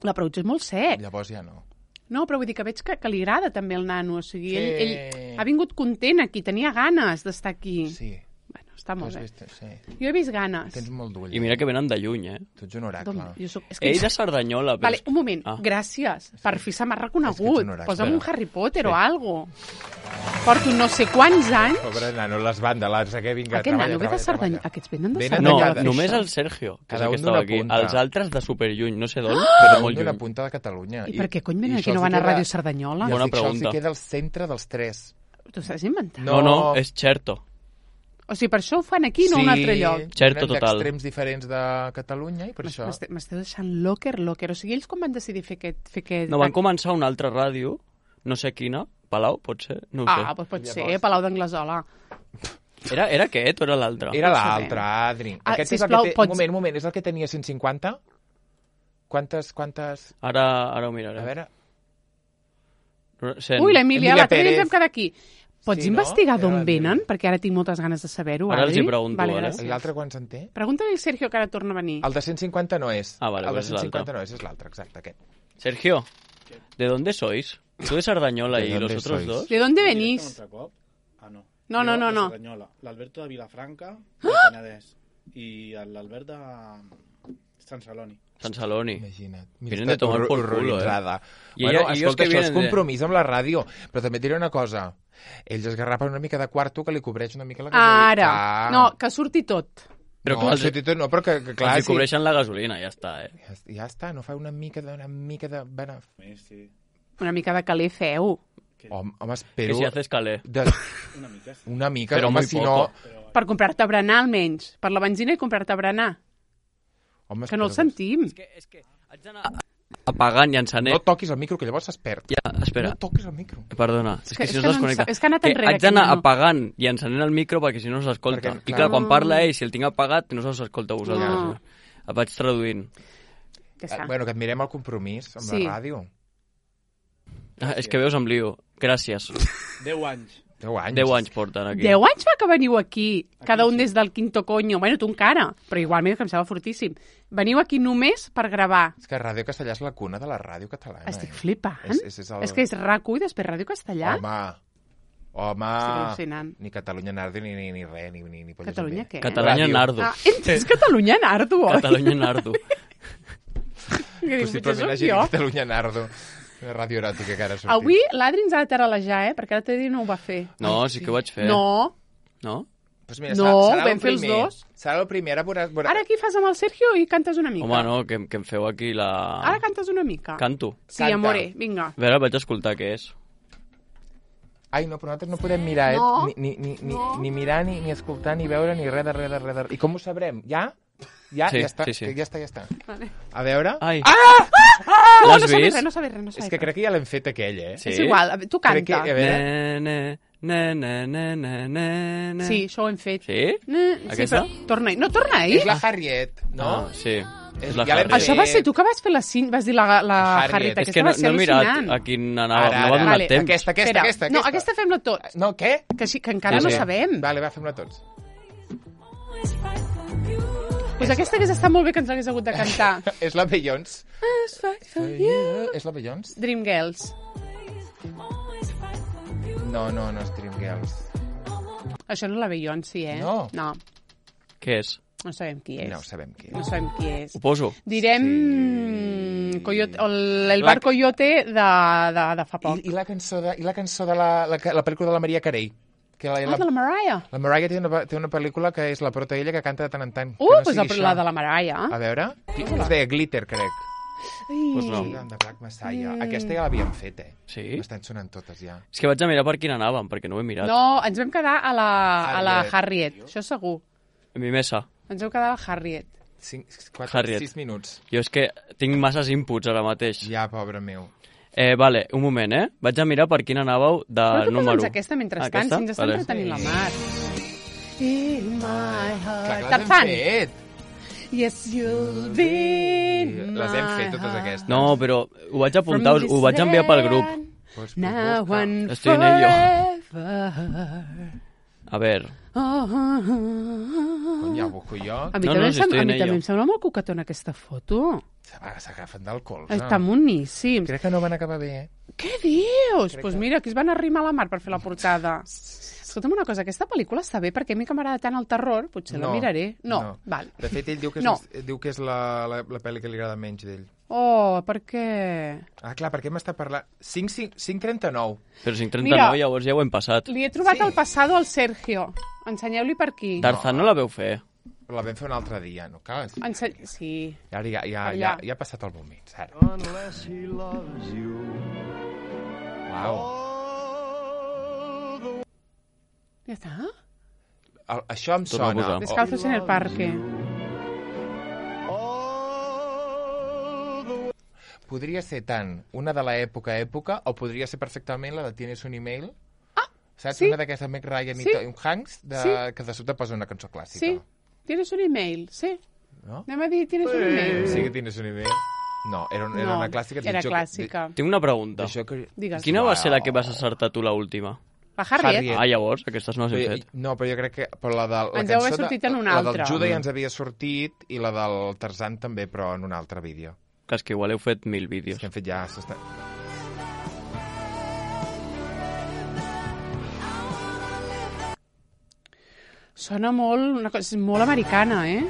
L'approach és molt sec. Llavors ja no. No, però vull dir que veig que, que li agrada també el nano. O sigui, Sí. ell, ell ha vingut content aquí, tenia ganes d'estar aquí. Sí. Bueno, està Tu molt has bé. vist, sí. Jo he vist ganes. Tens molt d'ull. I mira que venen de lluny, eh? Tu ets un oracle. D'on- jo soc... és que Ell de Cerdanyola, però... Vale, és- un moment, Ah. gràcies. Per fi se m'ha És que reconegut. ets un oracle. Posa'm un Harry Potter o algo. Porto no sé quants anys. Pobre nano, les bandes, que vinga, Aquest treballa, nano ve de treballa, Cerdanyola. treballa. Aquests venen de Venen de No, Cerdanyola. cada- només això. el Sergio, que és Cada el que un estava d'una aquí. punta. Els altres de superlluny, no sé d'on, Ah! però Cada molt un d'una lluny. punta de Catalunya. I per què cony venen i aquí això no els van a queda- Ràdio Cerdanyola? I Bona els dic, això els pregunta. queda el centre dels tres. T'ho estàs inventant? No. No, no, és Xerto. O sigui, per això ho fan aquí, no a un altre lloc. Xerto venen total. d'extrems diferents de Catalunya i per això... M'este- M'esteu deixant locker, locker. O sigui, ells com van decidir fer aquest... Fer aquest... No, van començar una altra ràdio, no sé quina, Palau, pot ser? No ho sé. Ah, doncs pot ser, Palau d'Anglesola. Era, era aquest o era l'altre? Era No l'altre, sabem. Adri. Ah, Aquest sisplau, és el que té... pots- Un moment, un moment, és el que tenia cent cinquanta? Quantes, quantes... Ara, ara ho miraré. A veure... Cent... Ui, l'Emília, Emília l'altre dia ens Pérez. vam quedar aquí. Pots Sí, no? investigar Era d'on l'Emília. venen? Perquè ara tinc moltes ganes de saber-ho, Ara els Adri. hi pregunto, vale, vale? gràcies. I l'altre quants en té? Pregunta-li al Sergio, que ara torna a venir. El de cent cinquanta no és. Ah, vale, el de pues és cent cinquanta l'altre. no és, és l'altre, exacte, aquest. Sergio, ¿de dónde sois? Tú de Cerdañola ¿De y dónde los otros sois? dos. ¿De dónde ¿Un venís? altre cop? Ah, no. No, no, Jo, no, de no. Cerdanyola. L'Alberto de Vilafranca, del Penedès. I l'Albert de Sant Celoni. Sant Celoni. Imagina't. Vienen de tomar por culo, eh? I bueno, ella, escolta, això és compromís de... amb la ràdio. Però també et diré una cosa. Ells es garrapen una mica de quarto que li cobreix una mica la gasolina. Ara. Ah. No, que surti tot. Però no, clar, els... no, però que, que clar... Els hi cobreixen sí. la gasolina, ja està, eh? Ja, ja està, no fa una mica de... Una mica de... Sí, sí. Una mica de calé feu. Home, home, espero... Que si haces calé. De... Una mica, sí. Una mica, però home, muy si poco. no... Però... Per comprar-te berenar, almenys. Per la benzina i comprar-te berenar. Home, que no el sentim. És que, és que haig d'anar apagant i encenent. No toquis el micro, que llavors es perd. Ja, espera. No toquis el micro. Perdona, és, és que, que si no, no desconnecta. És que ha anat enrere. Haig d'anar apagant i encenent el micro perquè si no no s'escolta. Perquè, I clar, quan parla ell, si el tinc apagat, no s'escolta a vosaltres. No. El vaig traduint. Que eh, bueno, que et mirem el compromís amb sí. la ràdio. Ah, és que veus amb lío. Gràcies. Deu anys. Deu anys. Deu anys porten aquí. Deu anys fa que veniu aquí, cada un des del quinto coño. Bueno, tu encara, però igualment que em sembla fortíssim. Veniu aquí només per gravar. És que Ràdio Castellà és la cuna de la ràdio catalana. Estic eh? flipant. És, és, és, el... és que és RAC1 i després Ràdio Castellà. Home, home... Estic al·lucinant. Ni Catalunya Nardo, ni, ni, ni res, ni, ni, ni polles. Catalunya què? Catalunya Nardo. Ah, ets Catalunya Nardo, oi? Catalunya Nardo. Que dius, potser Possiblement sóc hagi jo. Catalunya Nardo. Una ràdio eròtica que ara ha sortit. Avui l'Adri ens ha de teralejar, eh? Perquè l'altre dia no ho va fer. No, sí que ho vaig fer. No. No? Pues mira, No, serà, serà vam fer els primer. dos. Serà el primer. Ara, veuràs, veuràs... Ara aquí fas amb el Sergio i cantes una mica. Home, no, que, que em feu aquí la... Ara cantes una mica. Canto. Sí, Canta. amore, vinga. A veure, vaig escoltar què és. Ai, no, però nosaltres no podem mirar, eh? No. Ni, ni, ni, ni, No. ni mirar, ni, ni escoltar, ni veure, ni res de res de res de res. I com ho sabrem? Ja? Ja? Sí, ja està, sí, sí. ja està, ja està. Vale. A veure... Ai. Ah! No, L'has no sabia vist? res, no sabia res, no sabia És que crec que ja l'hem fet aquell, eh? Sí. És igual, tu Crec que, canta. a veure... Ne, ne, ne, ne, ne, ne, ne. Sí, això ho hem fet. Sí? Ne, sí, Aquesta? però torna-hi. No, torna-hi. És la Harriet, no? Ah, sí. És- És la ja l'hem Harriet. Això va ser tu que vas fer la cin... vas dir la, la Harriet. Harriet. És Aquesta que no, va ser no he mirat al·lucinant. a quin anava, Ara, no m'ha ara. donat Vale. temps. Aquesta, aquesta, Espera. aquesta, aquesta. No, aquesta fem-la tots. No, què? Que, sí, que encara Sí, no sí. sabem. Vale, va, fem-la tots. Pues aquesta hagués estat molt bé que ens hagués hagut de cantar. És la Beyoncé. It's right for you. És la Beyoncé? Dreamgirls. No, no, no és Dreamgirls. Això no és la Beyoncé, eh? No. No, Què és? no sabem qui és. No sabem qui No és. sabem qui és. Ho poso. Direm Sí. Coyote, el, el La- bar Coyote de, de, de fa poc. I, i la cançó de, i la cançó de la, la, la pel·lícula de la Maria Carey. Que la, Ah, la, de la Mariah. la Mariah té una, té una pel·lícula que és la prota ella que canta de tant en tant. Uh, que no pues sigui la, això. la de la Mariah. A veure, es deia Glitter, crec. Ai. Pues no. De Black Messiah. Aquesta ja l'havíem fet, eh? Sí? M'estan sonant totes, ja. És que vaig a mirar per quin anàvem, perquè no ho he mirat. No, ens vam quedar a la, a la Harriet. Harriet, això segur. Mi mesa. Ens vam quedar a la Harriet. Cinc, quatre, Harriet. sis minuts. Jo és que tinc masses inputs ara mateix. Ja, pobre meu. Eh, vale, un moment, eh? Vaig a mirar per quin anàveu de Però tu número. posa'ns aquesta mentrestant, Aquesta? si ens està Vale. entretenint la Mar. In my Clar, heart. que les hem Tarzan. fet. Yes, you'll be in Les hem fet, my totes heart. aquestes. No, però ho vaig apuntar, us, ho vaig enviar pel grup. Pues, pues, Now busca. and Estoy en ello. forever. A veure, Oh, oh, oh, oh. Cony, ja ho busco jo. A mi, No, també, no, em si sem- estoy a en mi ello. també em sembla molt coquetona aquesta foto. S'agafen del colze. Està moníssims. Crec que no van acabar bé, eh? Què dius? Doncs pues que- mira, aquí es van arrimar a la Mar per fer la portada. Escolta'm una cosa, aquesta pel·lícula està bé perquè a mi que m'agrada tant el terror, potser la miraré. No, val. De fet, ell diu que és, No. diu que és la, la, la pel·li que li agrada menys d'ell. Oh, per què? Ah, clar, perquè m'està parlant... cinc trenta-nou. però cinc trenta-nou Mira. llavors ja ho hem passat. Li he trobat Sí. el passado al Sergio. Ensenyeu-li per aquí. Tarzan no la veu fer. Però la vam fer un altre dia, no cal? Ense... Sí. Ja, ja, ja, Per ja, allà. ja ha passat el moment, Sara. Unless he loves you. Uau. Ja està? Ah? El, això em Torna a sona. posar. Descalzos en el parque. Podria ser tant una de l'època època o podria ser perfectament la de Tienes un email. Ah, Saps? sí. Una d'aquestes Meg Ryan Sí. i Tom Hanks de, Sí. que de sota posa una cançó clàssica. Sí. Tienes un email, sí. No? Anem a dir tienes un email. Sí que Tienes un email. No, era, un- era No, una clàssica. era Jo- clàssica. Tinc una pregunta. Això que... Digues. Quina va ser la que vas acertar tu l'última? La Harriet. Harriet. Ah, llavors, aquestes no les hem Però, fet. no, però jo crec que... Però la de, la Ens deu haver cançó de- sortit en una La altra. del Juda Mm. ja ens havia sortit i la del Tarzan també, però en un altre vídeo. Que és que igual heu fet mil És vídeos. que hem fet ja... s'està- Sona molt, una cosa, és molt americana, eh?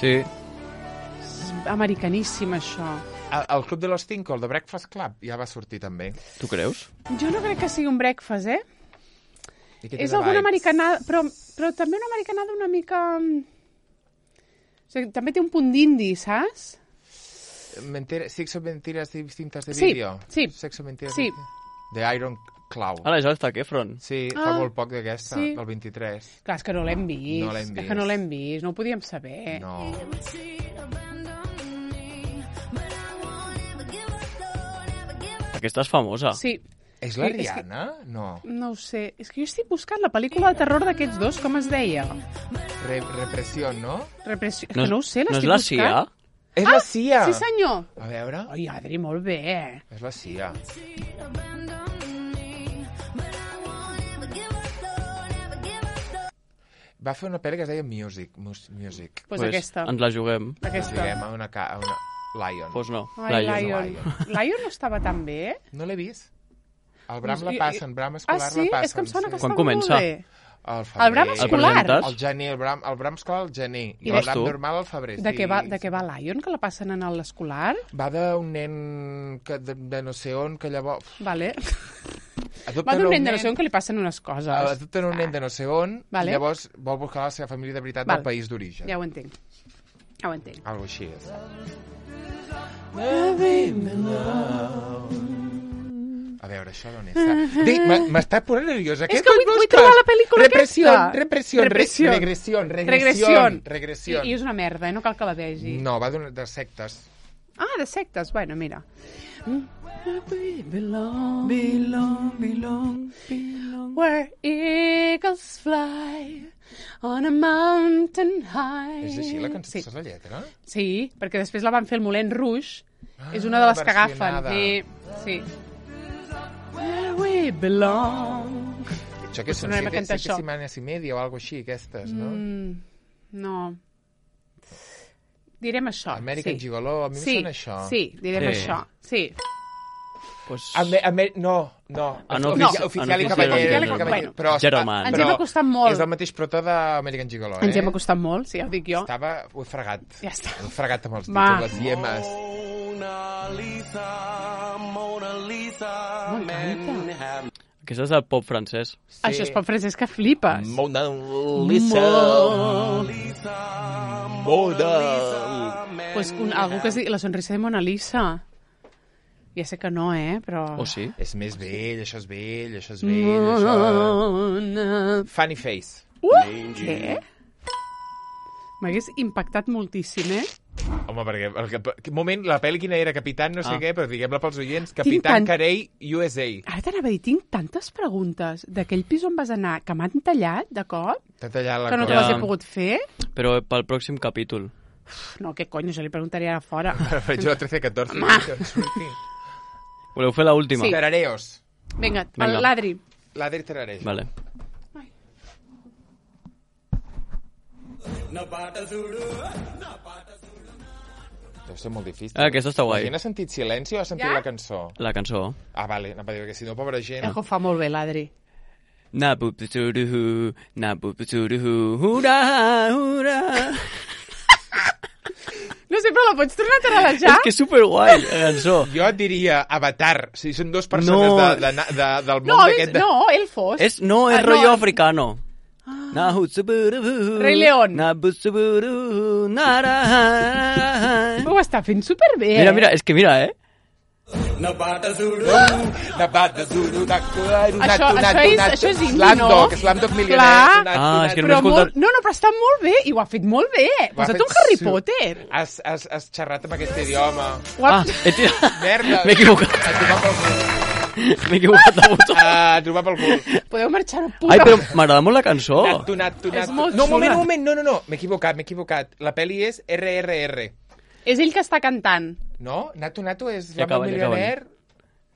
Sí. americaníssim, això. El, el Club de los Cinco, el de Breakfast Club, ja va sortir també. Tu creus? Jo no crec que sigui un breakfast, eh? I què té És de alguna vibes? americanada, però, però també una americanada una mica... O sigui, també té un punt d'indi, saps? Mentira, sexo, mentiras y cintas de Sí, vídeo. sí. Sexo, mentiras Sí. de Iron Cloud. Ara, això està aquí, Efron. Sí, Ah, fa molt poc d'aquesta, sí. del vint-i-tres. Clar, és que no l'hem vist. No l'hem És vist. que no l'hem vist, no ho podíem saber. No. Aquesta és famosa. Sí, És la Sí, és que- Rihanna? No. no ho sé. És que jo estic buscant la pel·lícula de terror d'aquests dos, com es deia? Re Repressió, no? Repressió... És No, que no ho sé, no és l'estic la buscant. Cia? És la Cia! Sí, senyor. A veure... Ai, Adri, molt bé, eh? És la Cia. Va fer una pel·li que es deia Music. Mus Music. Pues aquesta. Ens la juguem. Aquesta. Diguem, a una, ca a una Lion. Pues no. Ai, Lion. Lion. Lion no estava tan bé, eh? No l'he vist. El Bram la I- i- passen, Bram Ah, escolar sí? la passen. És que em sona que sí. Quan estava comença? molt bé. El, El Bram febrer. escolar? presentes? El gener, el Bram, el Bram escolar al gener. I, I el vas Bram tu? normal al febrer. De sí, què va, de sí. què va Lion, que la passen en l'escolar? Va d'un nen que, de, de no sé on, que llavors... Vale. Adopten Va d'un un nen de no sé on que li passen unes coses. Adopten un nen de no sé on, Vale. i llavors vol buscar la seva família de veritat Val. del país d'origen. Ja ho entenc. Ja ho entenc. Algo així és. A veure, això d'on és? Dic, m'ha- m'està posant nerviosa. És que vull, vull trobar la pel·lícula repressió, aquesta. Repressió, Repressió. regressió, regressió, Regressió. regressió. I, I és una merda, eh? No cal que la vegi. No, va d'una- de sectes. Ah, de sectes. Bueno, mira. Belong, Belong, belong, belong. where eagles fly on a mountain high. És així la cançó, Sí. saps la lletra? Sí, perquè després la van fer el Moulin Rouge. Ah, és una de les que agafen. versionada. Sí, sí. Where we belong. Això que Us són tornarem a siete, cantar siete això. setmanes i media o alguna així, aquestes, no? Mm, no. Direm això. American sí. Gigolo, a mi sí, em sona això. Sí, direm Sí. això. Sí. Pues... Ame, ame, no, no. Ah, no, Ofici- no. Oficial i Ah, no, cavaller. oficial i cavaller. cavaller. Però, Jeroman. Ens però hem acostat molt. És del mateix prota d'American Gigolo, eh? Ens hi hem acostat molt, sí, ja ho dic jo. Estava... Ho he fregat. Ja està. Ho he fregat amb els dits, Va. amb les llemes. Mona Lisa, Mona Lisa, M'encanta. Aquesta és del pop francès. Sí. Això és pop francès que flipes. Mona Molt. Lisa, Mona. Pues un, algú que es digui La sonrisa de Mona Lisa. Ja sé que no, eh, però... O sí? És més vell, això és vell, això és vell, això... Mona... Funny Face. Uh, què? M'hagués impactat moltíssim, eh? Home, perquè... El, que, moment, la pel·li quina era? Capitán no sé Ah. què, però diguem-la pels oients. Capitán tant- Carey, U S A. Ara t'anava a dir, tinc tantes preguntes d'aquell pis on vas anar que m'han tallat de cop, T'ha tallat la que no te cosa. les Ja. he pogut fer. Però pel pròxim capítol. Uf, no, què cony, jo li preguntaré ara fora. Faig jo trece catorze. Voleu fer l'última? Sí. Tarareos. Vinga, Vinga. el l'Adri. L'Adri tarareja. Vale. Deu ser molt difícil. Ah, aquesta està guai. La gent ha sentit silenci o ha sentit Ja? la cançó? La cançó. Ah, vale, anava a dir que si no, pobra gent... El que ho fa molt bé, l'Adri. Na bu bu su du hu, na bu bu su du hu, hurra, hurra. No sé, però la pots tornar a tararejar? És que és superguai, la cançó. Jo et diria Avatar. O sigui, són dues persones No. de, de, de, del món No, és, d'aquest... De... no, Elfos. És, no, és Ah, rotllo no. africano. Na hu su bu du hu, Rei León. Na bu su bu du hu, na ra. Ho està fent superbé. Mira, mira, és que mira, eh? De Bada Zulu, de Kuaru, Això, això, és, això és indi, no? Slamdog, Slamdog milioner. Clar. Ah, és que no Però m'he escoltat. molt, no, no, però està molt bé, i ho ha fet molt bé. Ho ha Posa't fet un Harry su- Potter. Has, has, has xerrat amb aquest idioma. Ho ha... Ah, he tirat... Merda. M'he equivocat. A trobar pel cul. M'he equivocat de botó. A trobar pel cul. Podeu marxar a puta. Ai, però m'agrada molt la cançó. Natu, natu, És natu. molt No, un moment, xula. un moment. No, no, no. M'he equivocat, m'he equivocat. La pel·li és R R R. És ell que està cantant. No? Natu, natu és Ja Slumdog acaben, ja Millionaire.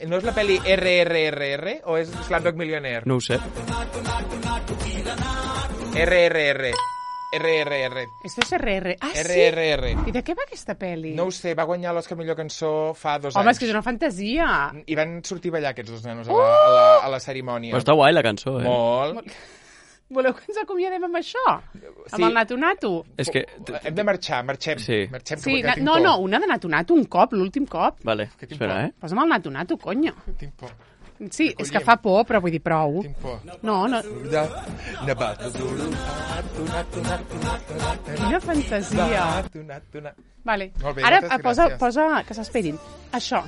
No és la pel·li R R R R o és Slumdog Millionaire? No ho sé. R R R. R R R. Esto és R R. Ah, R sí? R R. I de què va aquesta pel·li? No ho sé, va guanyar l'Oscar millor cançó fa dos Home, anys. és que és una fantasia. I van sortir a ballar aquests dos nanos a la, a la, a la cerimònia. Però està guai la cançó, eh? Molt. Voleu que ens acomiadem amb això? Sí. Amb el nato-nato? És que... Hem de marxar, marxem. Sí. Marxem Sí, que na tinc no, por. no, una de nato-nato, un cop, l'últim cop. Vale, Que tinc espera, por. eh? Posa'm el nato-nato, conyo. Tinc por. Sí, és que fa por, però vull dir prou. Tinc por. No, no, De... Nevat. quina fantasia. Vale. Molt bé, Ara moltes eh, posa, gràcies. posa, que s'esperin. Això.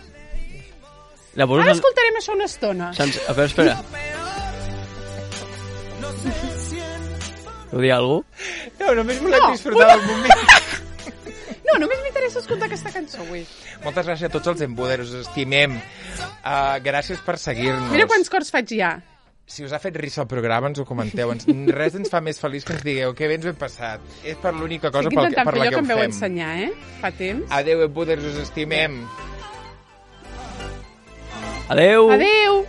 Llavors... Ara escoltarem això una estona. Sans... A veure, espera. Heu dir alguna cosa? No, només volem No, disfrutar del moment. No, només m'interessa escoltar aquesta cançó avui. Moltes gràcies a tots els embuderos, us estimem. Uh, gràcies per seguir-nos. Mira quants cors faig ja. Si us ha fet risa el programa, ens ho comenteu. Ens, res ens fa més feliç que ens digueu que bé ens ho hem passat. És per l'única cosa Estic pel, intentant per fer la allò que que ho em veu fem. ensenyar, eh? Fa temps. Adéu, embuderos, us estimem. Adeu! Adeu!